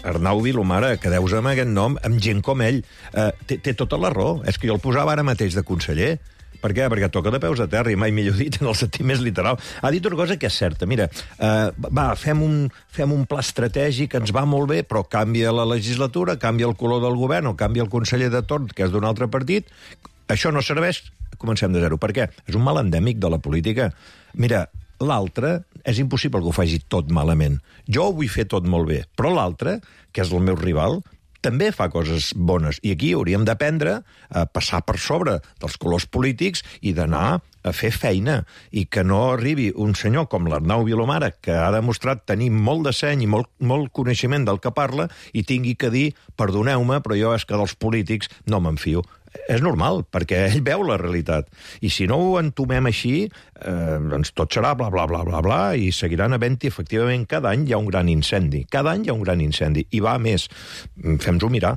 Arnau Vilomara, quedeu-vos amb aquest nom, amb gent com ell. Eh, té, té tota la raó. És que jo el posava ara mateix de conseller. Per què? Perquè toca de peus a terra, i mai millor dit, en el sentit més literal. Ha dit una cosa que és certa. Mira, eh, va, fem un, fem un pla estratègic, ens va molt bé, però canvia la legislatura, canvia el color del govern, o canvia el conseller de torn, que és d'un altre partit. Això no serveix, comencem de zero. Per què? És un mal endèmic de la política. Mira, l'altre és impossible que ho faci tot malament. Jo ho vull fer tot molt bé, però l'altre, que és el meu rival, també fa coses bones. I aquí hauríem d'aprendre a passar per sobre dels colors polítics i d'anar a fer feina, i que no arribi un senyor com l'Arnau Vilomara, que ha demostrat tenir molt de seny i molt, molt coneixement del que parla, i tingui que dir, perdoneu-me, però jo és que dels polítics no me'n fio. És normal, perquè ell veu la realitat. I si no ho entomem així, eh, doncs tot serà bla, bla, bla, bla, bla, i seguiran havent-hi, efectivament, cada any hi ha un gran incendi. Cada any hi ha un gran incendi. I va més. Fem-nos-ho mirar.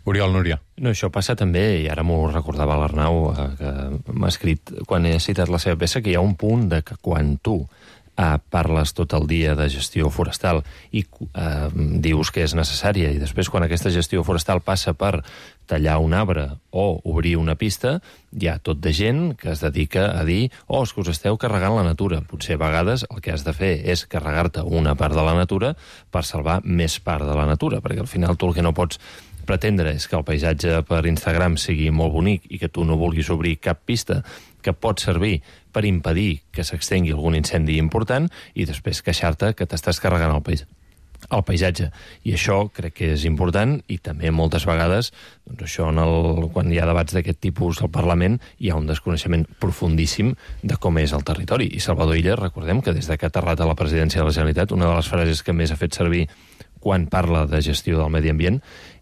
Oriol, Núria. No, això passa també, i ara m'ho recordava l'Arnau, eh, que m'ha escrit, quan he citat la seva peça, que hi ha un punt de que quan tu Uh, parles tot el dia de gestió forestal i uh, dius que és necessària, i després quan aquesta gestió forestal passa per tallar un arbre o obrir una pista, hi ha tot de gent que es dedica a dir oh, és que us esteu carregant la natura. Potser a vegades el que has de fer és carregar-te una part de la natura per salvar més part de la natura, perquè al final tu el que no pots pretendre és que el paisatge per Instagram sigui molt bonic i que tu no vulguis obrir cap pista que pot servir per impedir que s'extengui algun incendi important i després queixar-te que t'estàs carregant el, pais el paisatge. I això crec que és important, i també moltes vegades doncs això en el, quan hi ha debats d'aquest tipus al Parlament hi ha un desconeixement profundíssim de com és el territori. I Salvador Illa, recordem que des que ha aterrat a la presidència de la Generalitat, una de les frases que més ha fet servir quan parla de gestió del medi ambient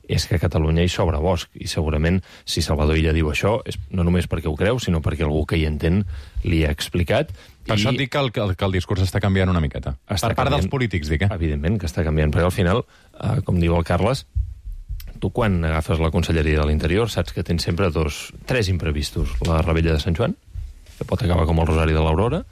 és que a Catalunya hi sobra bosc, i segurament si Salvador Illa diu això és no només perquè ho creu, sinó perquè algú que hi entén li ha explicat. Per I... això et dic que el, que el discurs està canviant una miqueta. Està per part canviant, dels polítics, dic, eh? Evidentment que està canviant, perquè al final, eh, com diu el Carles, tu quan agafes la Conselleria de l'Interior saps que tens sempre dos, tres imprevistos. La Rebella de Sant Joan, que pot acabar com el Rosari de l'Aurora,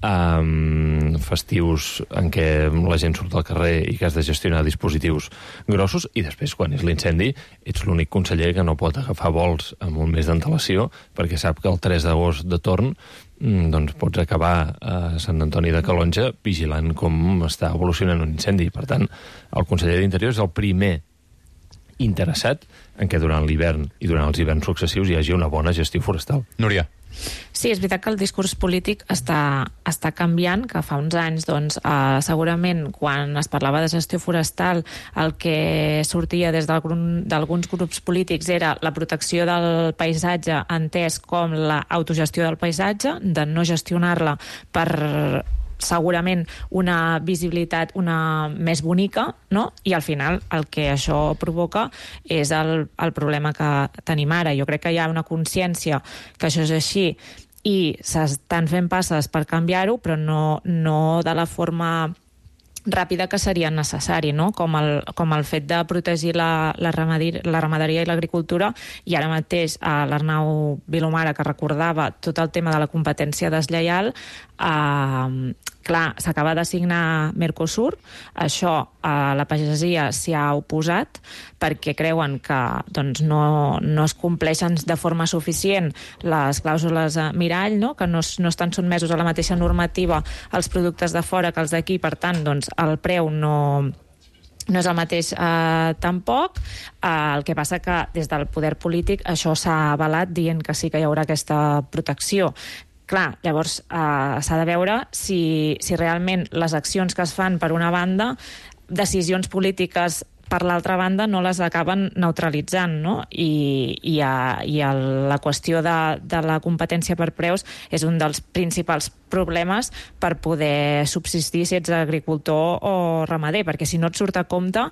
um, festius en què la gent surt al carrer i que has de gestionar dispositius grossos, i després, quan és l'incendi, ets l'únic conseller que no pot agafar vols amb un mes d'antelació, perquè sap que el tres d'agost de torn doncs pots acabar a Sant Antoni de Calonja vigilant com està evolucionant un incendi. Per tant, el conseller d'Interior és el primer interessat en què durant l'hivern i durant els hiverns successius hi hagi una bona gestió forestal. Núria. Sí, és veritat que el discurs polític està, està canviant, que fa uns anys, doncs, eh, segurament, quan es parlava de gestió forestal, el que sortia des d'alguns grups polítics era la protecció del paisatge entès com l'autogestió del paisatge, de no gestionar-la per segurament una visibilitat una més bonica, no? I al final el que això provoca és el, el problema que tenim ara. Jo crec que hi ha una consciència que això és així i s'estan fent passes per canviar-ho, però no, no de la forma ràpida que seria necessari, no? Com el, com el fet de protegir la, la, ramaderia, la ramaderia i l'agricultura, i ara mateix a l'Arnau Vilomara, que recordava tot el tema de la competència deslleial, eh, clar, s'acaba de signar Mercosur, això a la pagesia s'hi ha oposat perquè creuen que doncs, no, no es compleixen de forma suficient les clàusules mirall, no? Que no, no estan sotmesos a la mateixa normativa els productes de fora que els d'aquí, per tant, doncs, el preu no... no és el mateix eh, tampoc. Eh, el que passa que des del poder polític això s'ha avalat dient que sí que hi haurà aquesta protecció. Clar, llavors eh, s'ha de veure si, si realment les accions que es fan per una banda, decisions polítiques per l'altra banda no les acaben neutralitzant, no? I, i, a, i a la qüestió de, de la competència per preus és un dels principals problemes per poder subsistir si ets agricultor o ramader, perquè si no et surt a compte,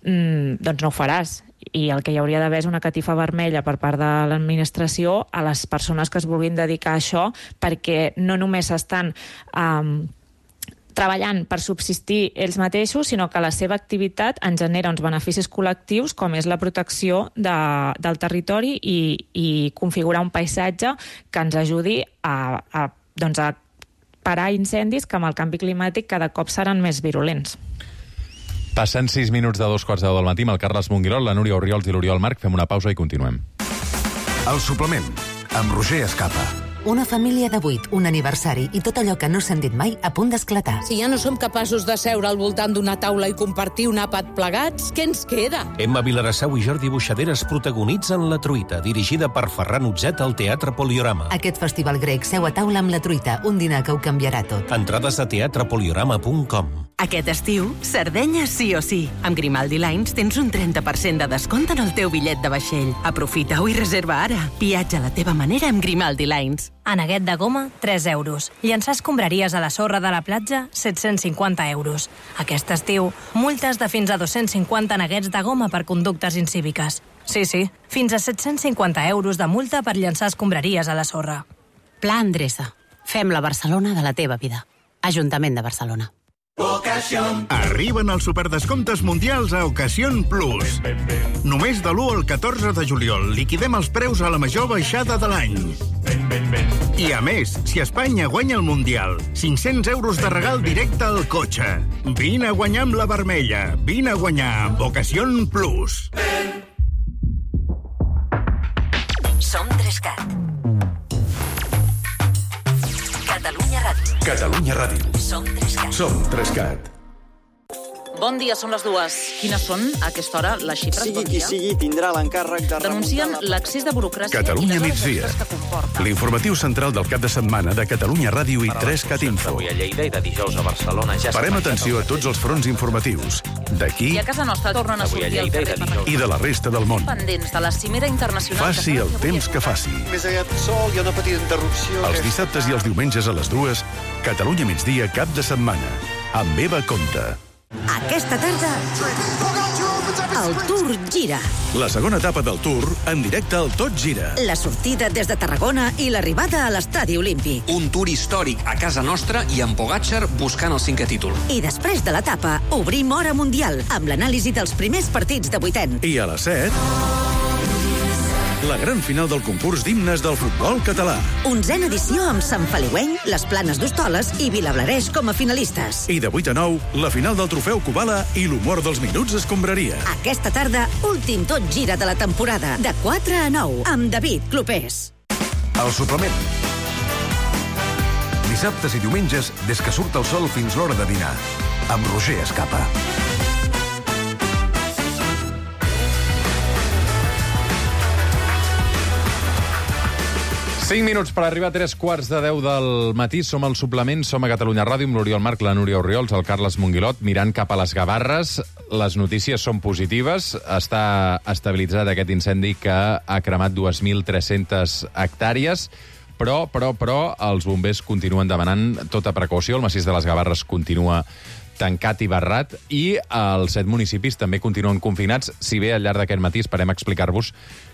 mmm, doncs no ho faràs. I el que hi hauria d'haver és una catifa vermella per part de l'administració a les persones que es vulguin dedicar a això, perquè no només estan um, treballant per subsistir ells mateixos, sinó que la seva activitat en genera uns beneficis col·lectius, com és la protecció de, del territori i, i configurar un paisatge que ens ajudi a, a, doncs a parar incendis que amb el canvi climàtic cada cop seran més virulents. Passen sis minuts de dos quarts de deu del matí amb el Carles Monguirol, la Núria Orriols i l'Oriol Marc. Fem una pausa i continuem. El suplement, amb Roger Escapa. Una família de vuit, un aniversari i tot allò que no s'han dit mai a punt d'esclatar. Si ja no som capaços de seure al voltant d'una taula i compartir un àpat plegats, què ens queda? Emma Vilarassau i Jordi Buixaderes protagonitzen La Truita, dirigida per Ferran Utzet al Teatre Poliorama. Aquest festival grec seu a taula amb La Truita, un dinar que ho canviarà tot. Entrades a teatre poliorama punt com. Aquest estiu, Sardenya sí o sí. Amb Grimaldi Lines tens un trenta per cent de descompte en el teu bitllet de vaixell. Aprofita-ho i reserva ara. Viatja a la teva manera amb Grimaldi Lines. Aneguet de goma, tres euros. Llançar escombraries a la sorra de la platja, set-cents cinquanta euros. Aquest estiu, multes de fins a dos-cents cinquanta neguets de goma per conductes incíviques. Sí, sí, fins a set-cents cinquanta euros de multa per llançar escombraries a la sorra. Pla Endreça. Fem la Barcelona de la teva vida. Ajuntament de Barcelona. Ocasión. Arriben els superdescomptes mundials a Ocasión Plus. Només de l'u al catorze de juliol liquidem els preus a la major baixada de l'any. I a més, si Espanya guanya el Mundial, cinc-cents euros de regal directe al cotxe. Vine a guanyar amb la vermella. Vine a guanyar amb Ocasión Plus. Som Trescat. Catalunya Ràdio. Catalunya Ràdio. Som Trescat. Som Trescat. Bon dia, són les dues. Quines són, a aquesta hora, les xifres? Sigui bon qui sigui, tindrà l'encàrrec de Denuncien remuntar... l'accés de burocràcia Catalunya i les migdia. que comporta. L'informatiu central del cap de setmana de Catalunya Ràdio i Trescat Info. Avui a Lleida i de dijous a Barcelona ja Parem atenció a tots els fronts informatius. D'aquí I a casa nostra tornen a sortir al carrer per... i de la resta del món. Pendents de la cimera internacional... Faci el temps que faci. Més aviat sol, hi ha una petita interrupció... Els dissabtes i els diumenges a les dues, Catalunya migdia cap de setmana. Amb Eva Conte. Aquesta tarda El Tour Gira. La segona etapa del Tour, en directe al Tot Gira. La sortida des de Tarragona i l'arribada a l'Estadi Olímpic. Un Tour històric a casa nostra i amb Pogačar buscant el cinquè títol. I després de l'etapa, obrim Hora Mundial, amb l'anàlisi dels primers partits de vuitens. I a les set... la gran final del concurs d'himnes del futbol català. Onzena edició amb Sant Feliueny, les Planes d'Hostoles i Vilablareix com a finalistes. I de vuit a nou, la final del trofeu Kubala i l'humor dels minuts escombraria. Aquesta tarda, últim Tot Gira de la temporada, de quatre a nou, amb David Clopés. El suplement. Dissabtes i diumenges, des que surt el sol fins l'hora de dinar. Amb Roger Escapa. cinc minuts per arribar a tres quarts de deu del matí. Som al suplement, som a Catalunya Ràdio, amb l'Oriol Marc, la Núria Orriols, el Carles Monguilot, mirant cap a les Gavarres. Les notícies són positives. Està estabilitzat aquest incendi que ha cremat dues mil tres-centes hectàrees, però, però, però, els bombers continuen demanant tota precaució. El massís de les Gavarres continua tancat i barrat, i els set municipis també continuen confinats, si bé al llarg d'aquest matí esperem explicar-vos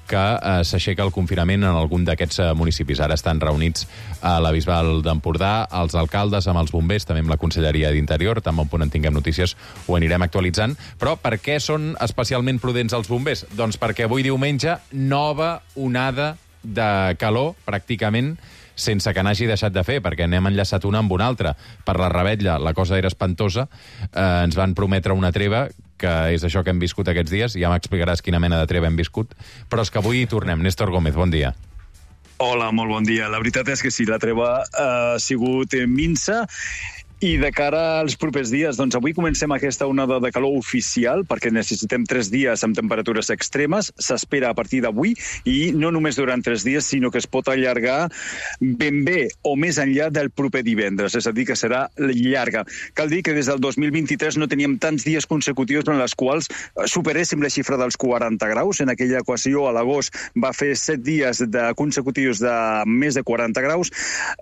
que eh, s'aixeca el confinament en algun d'aquests eh, municipis. Ara estan reunits a la Bisbal d'Empordà, els alcaldes amb els bombers, també amb la Conselleria d'Interior, tan bon punt en tinguem notícies ho anirem actualitzant. Però per què són especialment prudents els bombers? Doncs perquè avui diumenge, nova onada de calor, pràcticament, sense que n'hagi deixat de fer, perquè n'hem enllaçat una amb una altra. Per la Revetlla la cosa era espantosa, eh, ens van prometre una treva, que és això que hem viscut aquests dies, ja m'explicaràs quina mena de treva hem viscut, però és que avui hi tornem. Néstor Gómez, bon dia. Hola, molt bon dia. La veritat és que sí, la treva ha sigut minsa. I de cara als propers dies, doncs avui comencem aquesta onada de calor oficial, perquè necessitem tres dies amb temperatures extremes. S'espera a partir d'avui, i no només durant tres dies, sinó que es pot allargar ben bé o més enllà del proper divendres, és a dir, que serà llarga. Cal dir que des del dos mil vint-i-tres no teníem tants dies consecutius en els quals superéssim la xifra dels quaranta graus. En aquella equació, a l'agost, va fer set dies de consecutius de més de quaranta graus.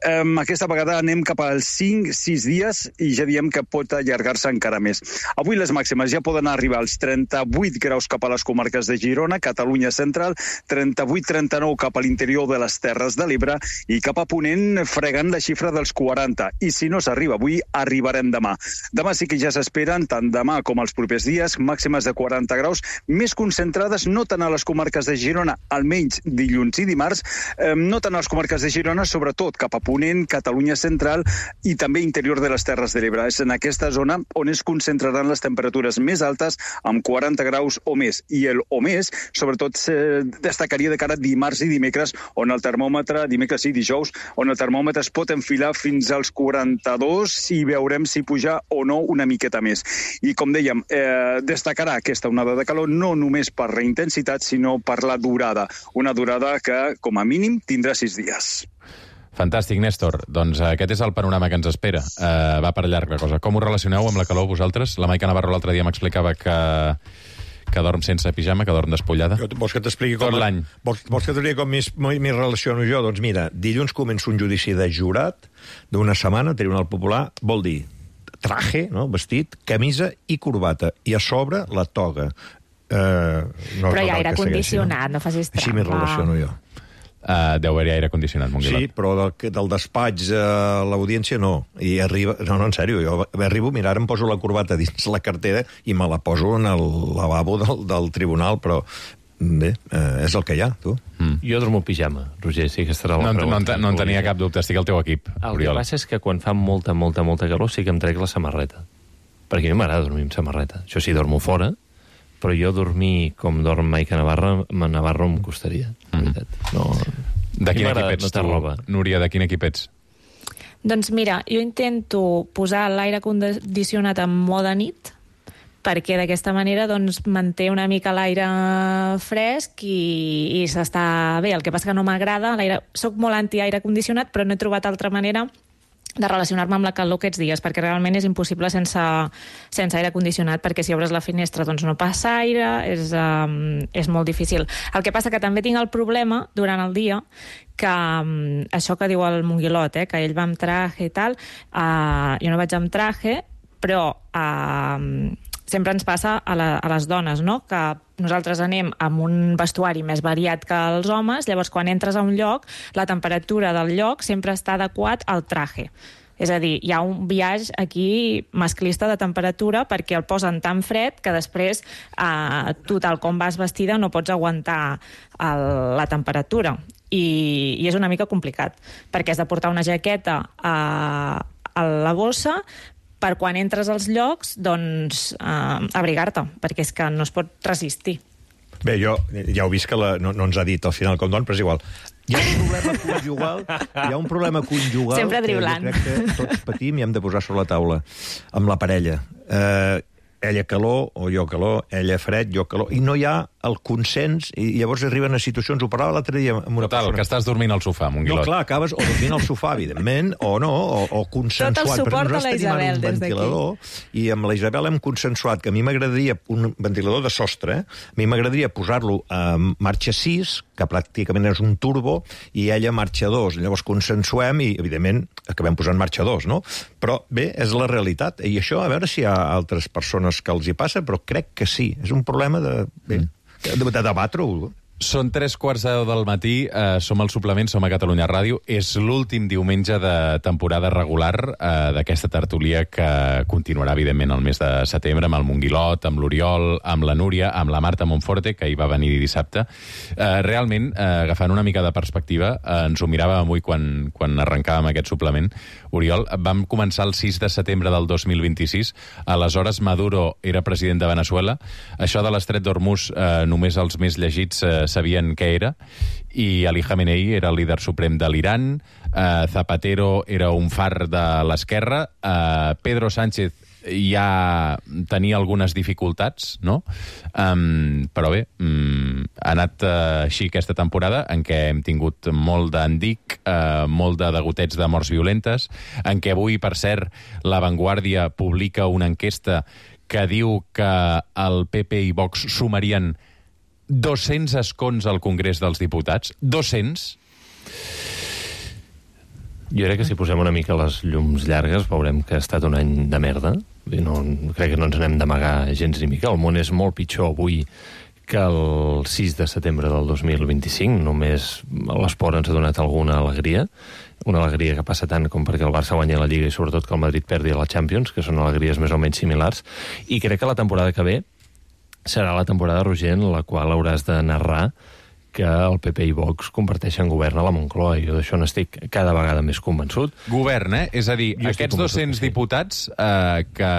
Aquesta vegada anem cap als cinc sis dies, i ja diem que pot allargar-se encara més. Avui les màximes ja poden arribar als trenta-vuit graus cap a les comarques de Girona, Catalunya Central, trenta-vuit trenta-nou cap a l'interior de les Terres de l'Ebre, i cap a Ponent fregant la xifra dels quaranta. I si no s'arriba avui, arribarem demà. Demà sí que ja s'esperen, tant demà com els propers dies, màximes de quaranta graus, més concentrades no tant a les comarques de Girona, almenys dilluns i dimarts, eh, no tant a les comarques de Girona, sobretot cap a Ponent, Catalunya Central i també interior de les Terres de l'Ebre. És en aquesta zona on es concentraran les temperatures més altes, amb quaranta graus o més. I el o més, sobretot, destacaria de cara a dimarts i dimecres, on el termòmetre, dimecres i dijous, on el termòmetre es pot enfilar fins als quaranta-dos, i veurem si puja o no una miqueta més. I com dèiem, eh, destacarà aquesta onada de calor no només per la intensitat, sinó per la durada. Una durada que, com a mínim, tindrà sis dies. Fantàstic, Néstor. Doncs aquest és el panorama que ens espera. Uh, va per llarg la cosa. Com ho relacioneu amb la calor vosaltres? La Maica Navarro l'altre dia m'explicava que, que dorm sense pijama, que dorm despullada. Jo, vols que t'expliqui com... Tot l'any. Vols, vols que t'expliqui com m'hi relaciono jo? Doncs mira, dilluns comença un judici de jurat d'una setmana, Tribunal Popular, vol dir traje, no? Vestit, camisa i corbata. I a sobre la toga. Uh, no Però hi ha aire condicionat, no? no facis trampa. Així m'hi relaciono jo. Uh, deu haver aire condicionat, Monguilot. Sí, però del, del despatx a l'audiència no. I arriba... No, no, en sèrio, jo arribo, mira, ara em poso la corbata dins la cartera i me la poso en el lavabo del, del tribunal, però bé, eh, és el que hi ha, tu. Mm. Jo dormo pijama, Roger, sí que estarà la no, pregunta. No, no en tenia cap dubte, estic al teu equip, El Oriol. que passa és que quan fa molta, molta, molta calor sí que em trec la samarreta. Perquè a mi m'agrada dormir amb samarreta. Això sí, dormo fora, però jo dormir com dorm Maica Navarro, Navarro em costaria, en veritat. No... De quin equip ets, tu, Núria? De quin equip ets? Doncs mira, jo intento posar l'aire condicionat en mode nit, perquè d'aquesta manera doncs, manté una mica l'aire fresc i, i s'està bé. El que passa que no m'agrada, soc molt anti-aire condicionat, però no he trobat altra manera de relacionar-me amb la calor aquests dies, perquè realment és impossible sense, sense aire condicionat, perquè si obres la finestra doncs no passa aire, és, um, és molt difícil. El que passa que també tinc el problema durant el dia que um, això que diu el Monguilot, eh, que ell va amb traje i tal, uh, jo no vaig amb traje, però uh, sempre ens passa a, la, a les dones, no? Que nosaltres anem amb un vestuari més variat que els homes, llavors quan entres a un lloc, la temperatura del lloc sempre està adequat al traje. És a dir, hi ha un biaix aquí masclista de temperatura perquè el posen tan fred que després eh, tu, tal com vas vestida, no pots aguantar el, la temperatura. I, I és una mica complicat, perquè has de portar una jaqueta a, a la bossa per quan entres als llocs, doncs, eh, abrigar-te, perquè és que no es pot resistir. Bé, jo ja heu vist que la, no, no ens ha dit al final com don, però és igual. Hi ha un problema conjugal, hi ha un problema conjugal sempre que jo crec que tots patim i hem de posar sobre la taula amb la parella. Eh, ella calor o jo calor, ella fred, jo calor, i no hi ha el consens, i llavors arriben a situacions, ho parlava l'altre dia amb una Total, persona. Que estàs dormint al sofà, Monguilot. No, clar, acabes o dormint al sofà, evidentment, o no, o, o consensuat. Tot el suport a la Isabel un des ventilador, i amb la Isabel hem consensuat que a mi m'agradaria un ventilador de sostre, eh? A mi m'agradaria posar-lo a marxa sis, que pràcticament és un turbo, i ella marxa dos. Llavors consensuem i, evidentment, acabem posant marxa dos, no? Però, bé, és la realitat. I això, a veure si hi ha altres persones que els hi passa, però crec que sí. És un problema de... Bé, de, de debatre-ho. Són tres quarts de deu del matí, eh, som al Suplement, som a Catalunya Ràdio. És l'últim diumenge de temporada regular eh, d'aquesta tertúlia que continuarà, evidentment, el mes de setembre, amb el Monguilot, amb l'Oriol, amb la Núria, amb la Marta Monforte, que hi va venir dissabte. Eh, realment, eh, agafant una mica de perspectiva, eh, ens ho miràvem avui quan, quan arrencàvem aquest suplement. Oriol, vam començar el sis de setembre del dos mil vint-i-sis. Aleshores, Maduro era president de Venezuela. Això de l'estret d'Hormuz, eh, només els més llegits eh, sabien què era, i Ali Khamenei era el líder suprem de l'Iran, eh, Zapatero era un far de l'esquerra, eh, Pedro Sánchez ja tenia algunes dificultats, no? Um, però bé, um, ha anat uh, així aquesta temporada, en què hem tingut molt d'endic, uh, molt de degotets de morts violentes, en què avui, per cert, La Vanguardia publica una enquesta que diu que el P P i Vox sumarien dos-cents escons al Congrés dels Diputats. dos-cents? Jo crec que si posem una mica les llums llargues veurem que ha estat un any de merda. No, crec que no ens n'hem d'amagar gens ni mica. El món és molt pitjor avui que el sis de setembre del dos mil vint-i-cinc. Només l'esport ens ha donat alguna alegria. Una alegria que passa tant com perquè el Barça guanyi la Lliga i sobretot que el Madrid perdi la Champions, que són alegries més o menys similars. I crec que la temporada que ve serà la temporada, Roger, en la qual hauràs de narrar que el P P i Vox comparteixen govern a la Moncloa. Jo d'això n'estic cada vegada més convençut. Govern, eh? És a dir, jo aquests dos-cents sí. diputats eh, que,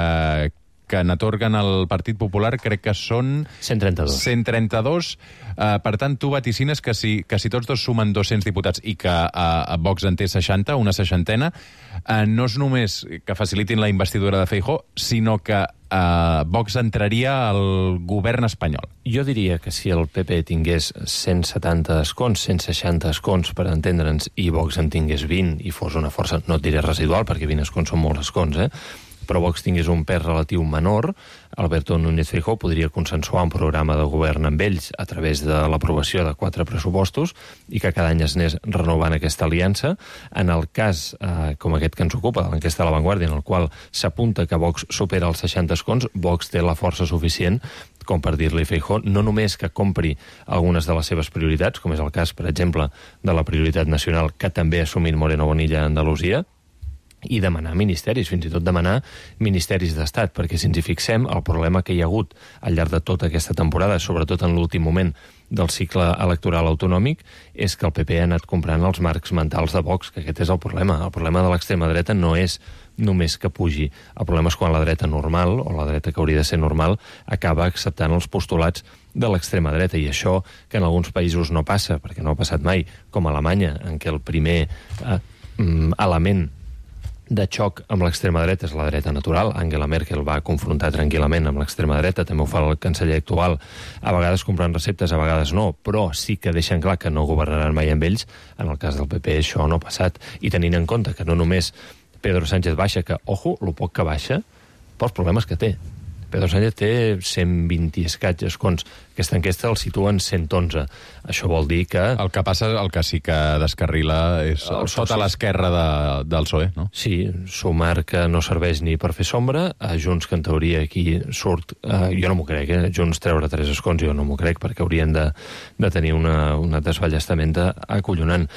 que n'atorguen al Partit Popular crec que són... cent trenta-dos. cent trenta-dos. Eh, per tant, tu vaticines que si, que si tots dos sumen dos-cents diputats i que eh, Vox en té seixanta, una seixantena, eh, no és només que facilitin la investidura de Feijóo, sinó que Uh, Vox entraria al govern espanyol. Jo diria que si el P P tingués cent setanta escons, cent seixanta escons, per entendre'ns, i Vox en tingués vint i fos una força, no et diré residual, perquè vint escons són molts escons, eh? però Vox tingués un pes relatiu menor, Alberto Núñez Feijóo podria consensuar un programa de govern amb ells a través de l'aprovació de quatre pressupostos i que cada any es anés renovant aquesta aliança. En el cas, eh, com aquest que ens ocupa, de l'enquesta de La Vanguardia, en el qual s'apunta que Vox supera els seixanta escons, Vox té la força suficient com per dir-li a Feijóo no només que compri algunes de les seves prioritats, com és el cas, per exemple, de la prioritat nacional que també ha assumit Moreno Bonilla a Andalusia, i demanar ministeris, fins i tot demanar ministeris d'Estat, perquè si ens hi fixem, el problema que hi ha hagut al llarg de tota aquesta temporada, sobretot en l'últim moment del cicle electoral autonòmic, és que el P P ha anat comprant els marcs mentals de Vox, que aquest és el problema. El problema de l'extrema dreta no és només que pugi. El problema és quan la dreta normal, o la dreta que hauria de ser normal, acaba acceptant els postulats de l'extrema dreta, i això que en alguns països no passa, perquè no ha passat mai, com a Alemanya, en què el primer eh, element de xoc amb l'extrema dreta és la dreta natural. Angela Merkel va confrontar tranquil·lament amb l'extrema dreta, també ho fa el canceller actual, a vegades comprant receptes, a vegades no, però sí que deixen clar que no governaran mai amb ells. En el cas del P P això no ha passat, i tenint en compte que no només Pedro Sánchez baixa, que, ojo, lo poc que baixa, pels problemes que té. Pedro Sánchez té cent vint i escaig escons. Aquesta enquesta el situa en cent onze. Això vol dir que... El que passa, el que sí que descarrila és el sota l'esquerra de, del P S O E, no? Sí, sumar que no serveix ni per fer sombra, a Junts, que en teoria aquí surt... Eh, jo no m'ho crec, eh? Junts treure tres escons, jo no m'ho crec, perquè haurien de, de tenir una, una desballestamenta acollonant.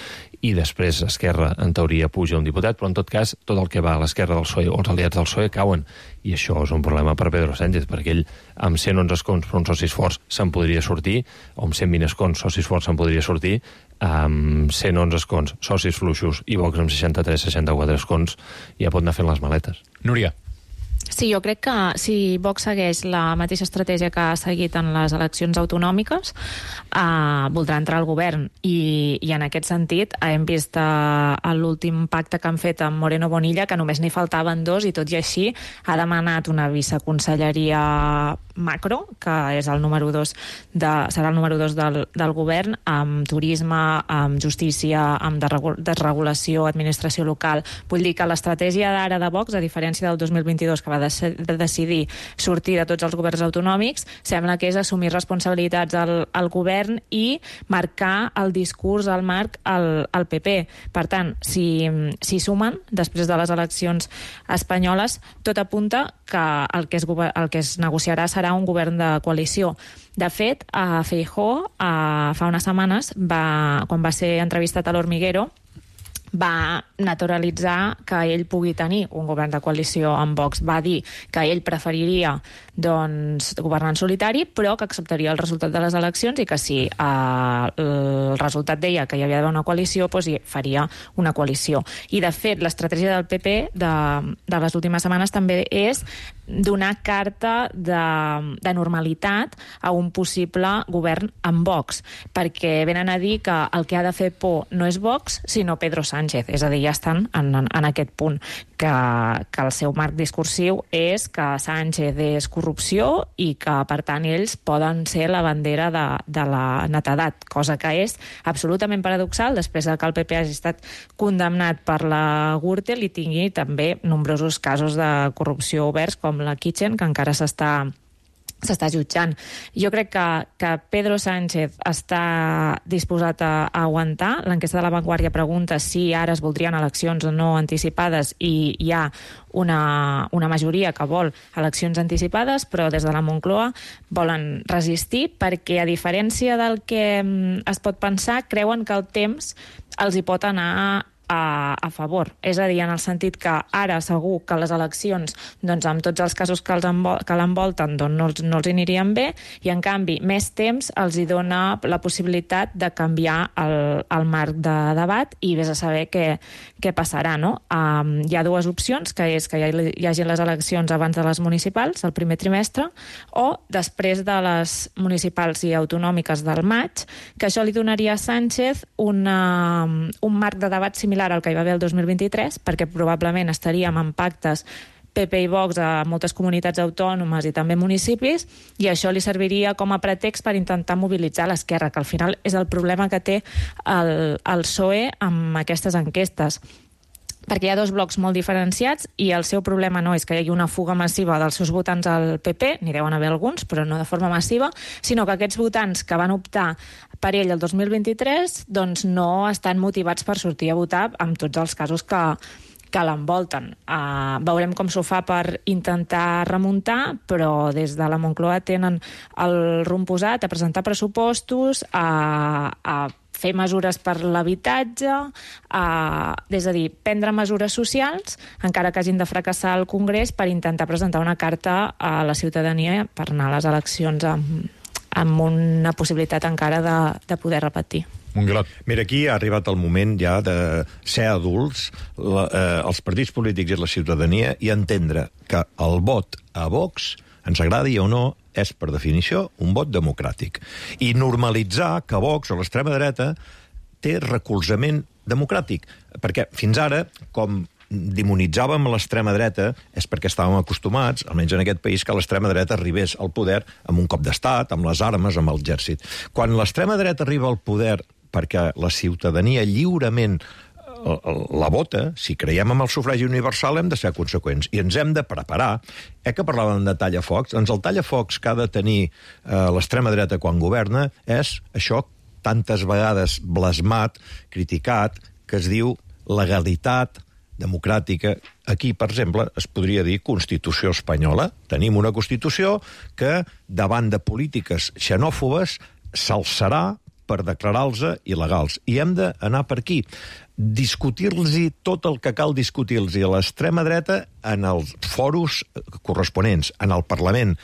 I després Esquerra, en teoria, puja un diputat, però en tot cas, tot el que va a l'esquerra del P S O E o els aliats del P S O E cauen. I això és un problema per Pedro Sánchez, perquè ell, amb cent onze escons per uns socis forts, se'n podria sortir, o amb cent vint escons, socis forts, se'n podria sortir, amb cent onze escons, socis fluixos, i Vox amb seixanta-tres seixanta-quatre escons, ja pot anar fent les maletes. Núria. Sí, jo crec que si Vox segueix la mateixa estratègia que ha seguit en les eleccions autonòmiques, eh, voldrà entrar al govern. I, i en aquest sentit hem vist eh, l'últim pacte que han fet amb Moreno Bonilla, que només n'hi faltaven dos, i tot i així ha demanat una viceconselleria macro, que és el número dos de, serà el número dos del, del govern, amb turisme, amb justícia, amb desregulació, administració local. Vull dir que l'estratègia d'ara de Vox, a diferència del dos mil vint-i-dos, que va de, de decidir sortir de tots els governs autonòmics, sembla que és assumir responsabilitats al, al govern i marcar el discurs, el marc, al, al P P. Per tant, si, si sumen, després de les eleccions espanyoles, tot apunta que el que es, el que es negociarà serà un govern de coalició. De fet, a Feijóo, a, fa unes setmanes, va, quan va ser entrevistat a l'Hormiguero, va naturalitzar que ell pugui tenir un govern de coalició amb Vox. Va dir que ell preferiria doncs, governar en solitari, però que acceptaria el resultat de les eleccions i que si eh, el resultat deia que hi havia d'haver una coalició, doncs hi faria una coalició. I, de fet, l'estratègia del P P de, de les últimes setmanes també és donar carta de, de normalitat a un possible govern amb Vox, perquè venen a dir que el que ha de fer por no és Vox, sinó Pedro Sánchez. És a dir, ja estan en, en, en aquest punt, que, que el seu marc discursiu és que Sánchez és corrupció i que, per tant, ells poden ser la bandera de, de la netedat, cosa que és absolutament paradoxal després de que el P P hagi estat condemnat per la Gürtel i tingui també nombrosos casos de corrupció oberts, com la Kitchen, que encara s'està s'està jutjant. Jo crec que, que Pedro Sánchez està disposat a, a aguantar. L'enquesta de La Vanguardia pregunta si ara es voldrien eleccions o no anticipades i hi ha una, una majoria que vol eleccions anticipades, però des de la Moncloa volen resistir perquè, a diferència del que es pot pensar, creuen que el temps els hi pot anar A, a favor. És a dir, en el sentit que ara segur que les eleccions, doncs amb tots els casos que, els envol, que l'envolten, doncs no els, no els anirien bé, i en canvi més temps els hi dona la possibilitat de canviar el, el marc de debat i vés a saber què, què passarà, no? Um, hi ha dues opcions, que és que hi, ha, hi hagi les eleccions abans de les municipals, el primer trimestre, o després de les municipals i autonòmiques del maig, que això li donaria a Sánchez una, un marc de debat similar al que hi va haver el dos mil vint-i-tres, perquè probablement estaríem en pactes P P i Vox a moltes comunitats autònomes i també municipis, i això li serviria com a pretext per intentar mobilitzar l'esquerra, que al final és el problema que té el, el P S O E amb aquestes enquestes, perquè hi ha dos blocs molt diferenciats i el seu problema no és que hi hagi una fuga massiva dels seus votants al P P, n'hi deuen haver alguns, però no de forma massiva, sinó que aquests votants que van optar per ell el dos mil vint-i-tres doncs no estan motivats per sortir a votar amb tots els casos que, que l'envolten. Uh, veurem com s'ho fa per intentar remuntar, però des de la Moncloa tenen el rumb posat a presentar pressupostos, a, a fer mesures per l'habitatge, eh, és a dir, prendre mesures socials, encara que hagin de fracassar al Congrés, per intentar presentar una carta a la ciutadania per anar a les eleccions amb, amb una possibilitat encara de, de poder repetir. Monguilot. Mira, aquí ha arribat el moment ja de ser adults, la, eh, els partits polítics i la ciutadania, i entendre que el vot a Vox, ens agradi o no, és, per definició, un vot democràtic. I normalitzar que Vox, o l'extrema dreta, té recolzament democràtic. Perquè fins ara, com demonitzàvem l'extrema dreta, és perquè estàvem acostumats, almenys en aquest país, que l'extrema dreta arribés al poder amb un cop d'estat, amb les armes, amb l'exèrcit. Quan l'extrema dreta arriba al poder perquè la ciutadania lliurement la vota, si creiem en el sufragi universal, hem de ser conseqüents i ens hem de preparar. Eh que parlàvem de tallafocs? Doncs el tallafocs que ha de tenir eh, l'extrema dreta quan governa és això tantes vegades blasmat, criticat, que es diu legalitat democràtica. Aquí, per exemple, es podria dir Constitució espanyola. Tenim una Constitució que, davant de polítiques xenòfobes, s'alçarà per declarar-los il·legals. I hem d'anar per aquí. Discutir-los tot el que cal discutir-los a l'extrema dreta en els foros corresponents, en el Parlament.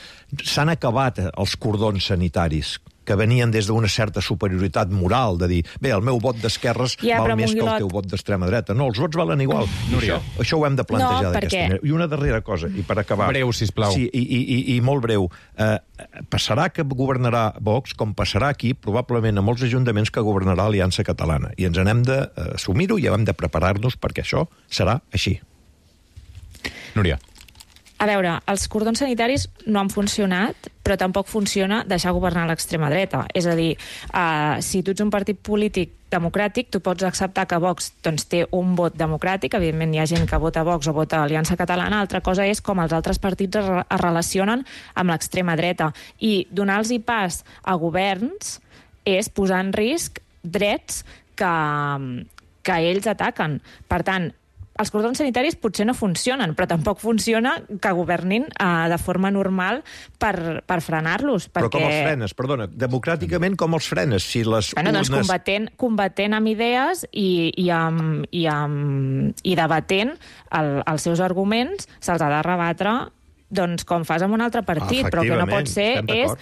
S'han acabat els cordons sanitaris que venien des d'una certa superioritat moral, de dir, bé, el meu vot d'esquerres ja, val més Monguilot... que el teu vot d'extrema dreta. No, els vots valen igual. Núria. Això, això ho hem de plantejar no, d'aquesta perquè... manera. I una darrera cosa, i per acabar... Breu, sisplau. Sí, i, i, i molt breu. Eh, passarà que governarà Vox, com passarà aquí, probablement a molts ajuntaments que governarà Aliança Catalana. I ens n'hem d'assumir-ho i hem de preparar-nos perquè això serà així. Núria. A veure, els cordons sanitaris no han funcionat, però tampoc funciona deixar governar l'extrema dreta. És a dir, uh, si tu ets un partit polític democràtic, tu pots acceptar que Vox doncs, té un vot democràtic, evidentment hi ha gent que vota Vox o vota Aliança Catalana, altra cosa és com els altres partits es, re es relacionen amb l'extrema dreta. I donar-los pas a governs és posar en risc drets que, que ells ataquen. Per tant, els cordons sanitaris potser no funcionen, però tampoc funciona que governin uh, de forma normal per, per frenar-los. Però perquè... com els frenes, perdona, democràticament com els frenes? Si les bueno, doncs urnes... combatent, combatent amb idees i, i, amb, i, amb, i debatent el, els seus arguments, se'ls ha de rebatre doncs, com fas amb un altre partit, però que no pot ser és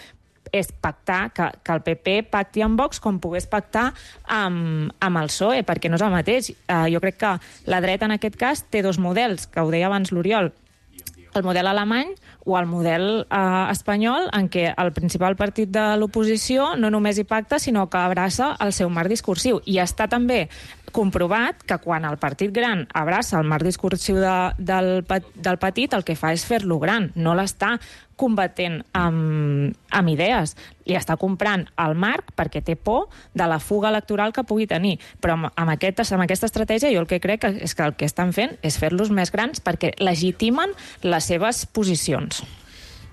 és pactar, que, que el P P pacti amb Vox com pogués pactar amb, amb el P S O E, perquè no és el mateix. Uh, jo crec que la dreta, en aquest cas, té dos models, que ho deia abans l'Oriol, el model alemany o el model uh, espanyol, en què el principal partit de l'oposició no només hi pacta, sinó que abraça el seu marc discursiu. I està també comprovat que quan el partit gran abraça el marc discursiu de, del, del petit, el que fa és fer-lo gran, no l'està combatent amb, amb idees. Li està comprant el marc perquè té por de la fuga electoral que pugui tenir. Però amb, amb, aquest, amb aquesta estratègia jo el que crec és que el que estan fent és fer-los més grans perquè legitimen les seves posicions.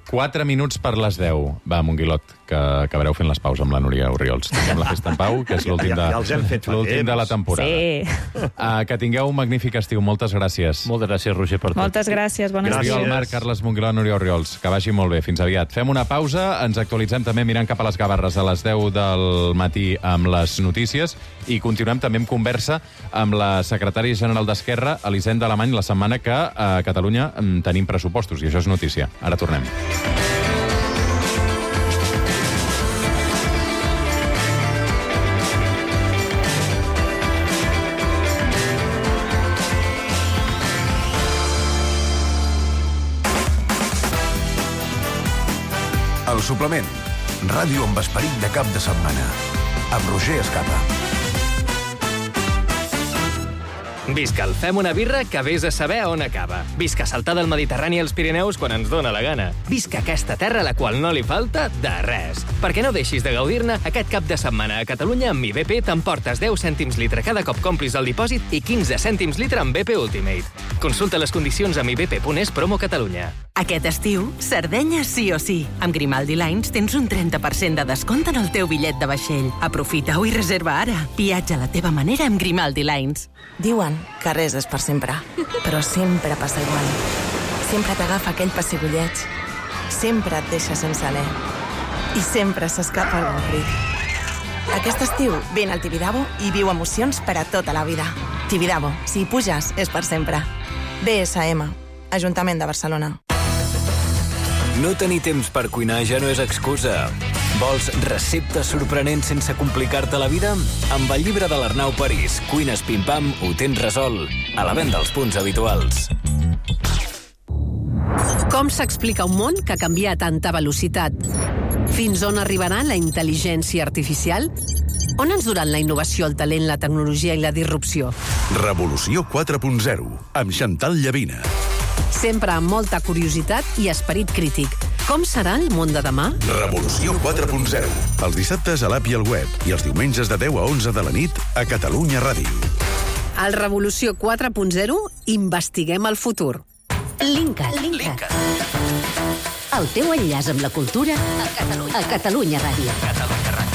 Quatre minuts per les deu. Va, Monguilot, que acabareu fent les paus amb la Núria Orriols. Tinguem la festa en pau, que és l'últim de, ja, ja l'últim de la temporada. Sí. Uh, que tingueu un magnífic estiu. Moltes gràcies. Moltes gràcies, Roger, per tot. Moltes gràcies, bon estiu. Oriol Marc, Carles Monguilot, Núria Orriols. Que vagi molt bé. Fins aviat. Fem una pausa, ens actualitzem també mirant cap a les Gavarres a les deu del matí amb les notícies i continuem també en conversa amb la secretària general d'Esquerra, Elisenda Alemany, la setmana que a Catalunya tenim pressupostos, i això és notícia. Ara tornem. El suplement. Ràdio amb esperit de cap de setmana. Amb Roger Escapa. Visca el Fem una birra que vés a saber on acaba. Visca saltar del Mediterrani als Pirineus quan ens dóna la gana. Visca aquesta terra a la qual no li falta de res. Perquè no deixis de gaudir-ne, aquest cap de setmana a Catalunya amb I B P t'emportes deu cèntims litre cada cop complis el dipòsit i quinze cèntims litre amb B P Ultimate. Consulta les condicions amb i b p punt es promo Catalunya. Aquest estiu, Sardenya sí o sí. Amb Grimaldi Lines tens un trenta per cent de descompte en el teu bitllet de vaixell. Aprofita-ho i reserva ara. Viatja a la teva manera amb Grimaldi Lines. Diuen que res és per sempre, però sempre passa igual. Sempre t'agafa aquell pessigolleig, sempre et deixa sense alè i sempre s'escapa algun crit. Aquest estiu, vine al Tibidabo i viu emocions per a tota la vida. Tibidabo, si hi puges, és per sempre. B S M, Ajuntament de Barcelona. No tenir temps per cuinar ja no és excusa. Vols receptes sorprenents sense complicar-te la vida? Amb el llibre de l'Arnau París, Cuines Pim-Pam, ho tens resolt. A la venda als punts habituals. Com s'explica un món que canvia a tanta velocitat? Fins on arribarà la intel·ligència artificial? On ens duran la innovació, el talent, la tecnologia i la disrupció? Revolució quatre punt zero, amb Chantal Llavina. Sempre amb molta curiositat i esperit crític. Com serà el món de demà? Revolució quatre punt zero. Els dissabtes a l'app i al web i els diumenges de deu a onze de la nit a Catalunya Ràdio. Al Revolució quatre punt zero investiguem el futur. Linkat. Linkat. El teu enllaç amb la cultura a Catalunya, a Catalunya Ràdio. Catalunya Ràdio.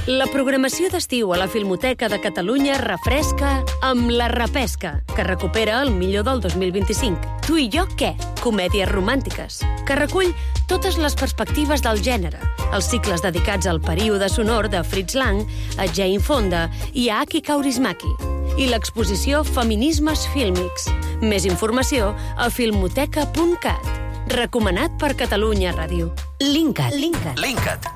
La programació d'estiu a la Filmoteca de Catalunya refresca amb La Repesca, que recupera el millor del dos mil vint-i-cinc. Tu i jo què? Comèdies romàntiques, que recull totes les perspectives del gènere, els cicles dedicats al període sonor de Fritz Lang, a Jane Fonda i a Aki Kaurismäki, i l'exposició Feminismes Fílmics. Més informació a filmoteca punt cat. Recomanat per Catalunya Ràdio. Linkat. Linkat. Linkat.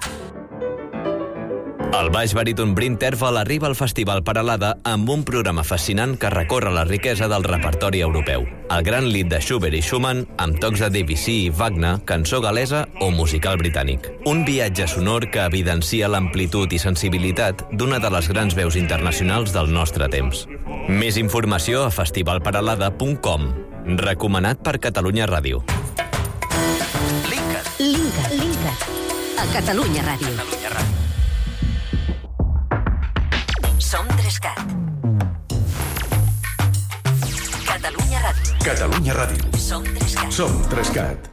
El baix baríton Bryn Terfel arriba al Festival Peralada amb un programa fascinant que recorre la riquesa del repertori europeu. El gran lit de Schubert i Schumann, amb tocs de Debussy i Wagner, cançó galesa o musical britànic. Un viatge sonor que evidencia l'amplitud i sensibilitat d'una de les grans veus internacionals del nostre temps. Més informació a festival peralada punt com. Recomanat per Catalunya Ràdio. Linkat. Linkat. Linkat. A Catalunya Ràdio. Catalunya Ràdio. Som Trescat. Catalunya Ràdio. Catalunya Ràdio. Som Trescat. Som Trescat.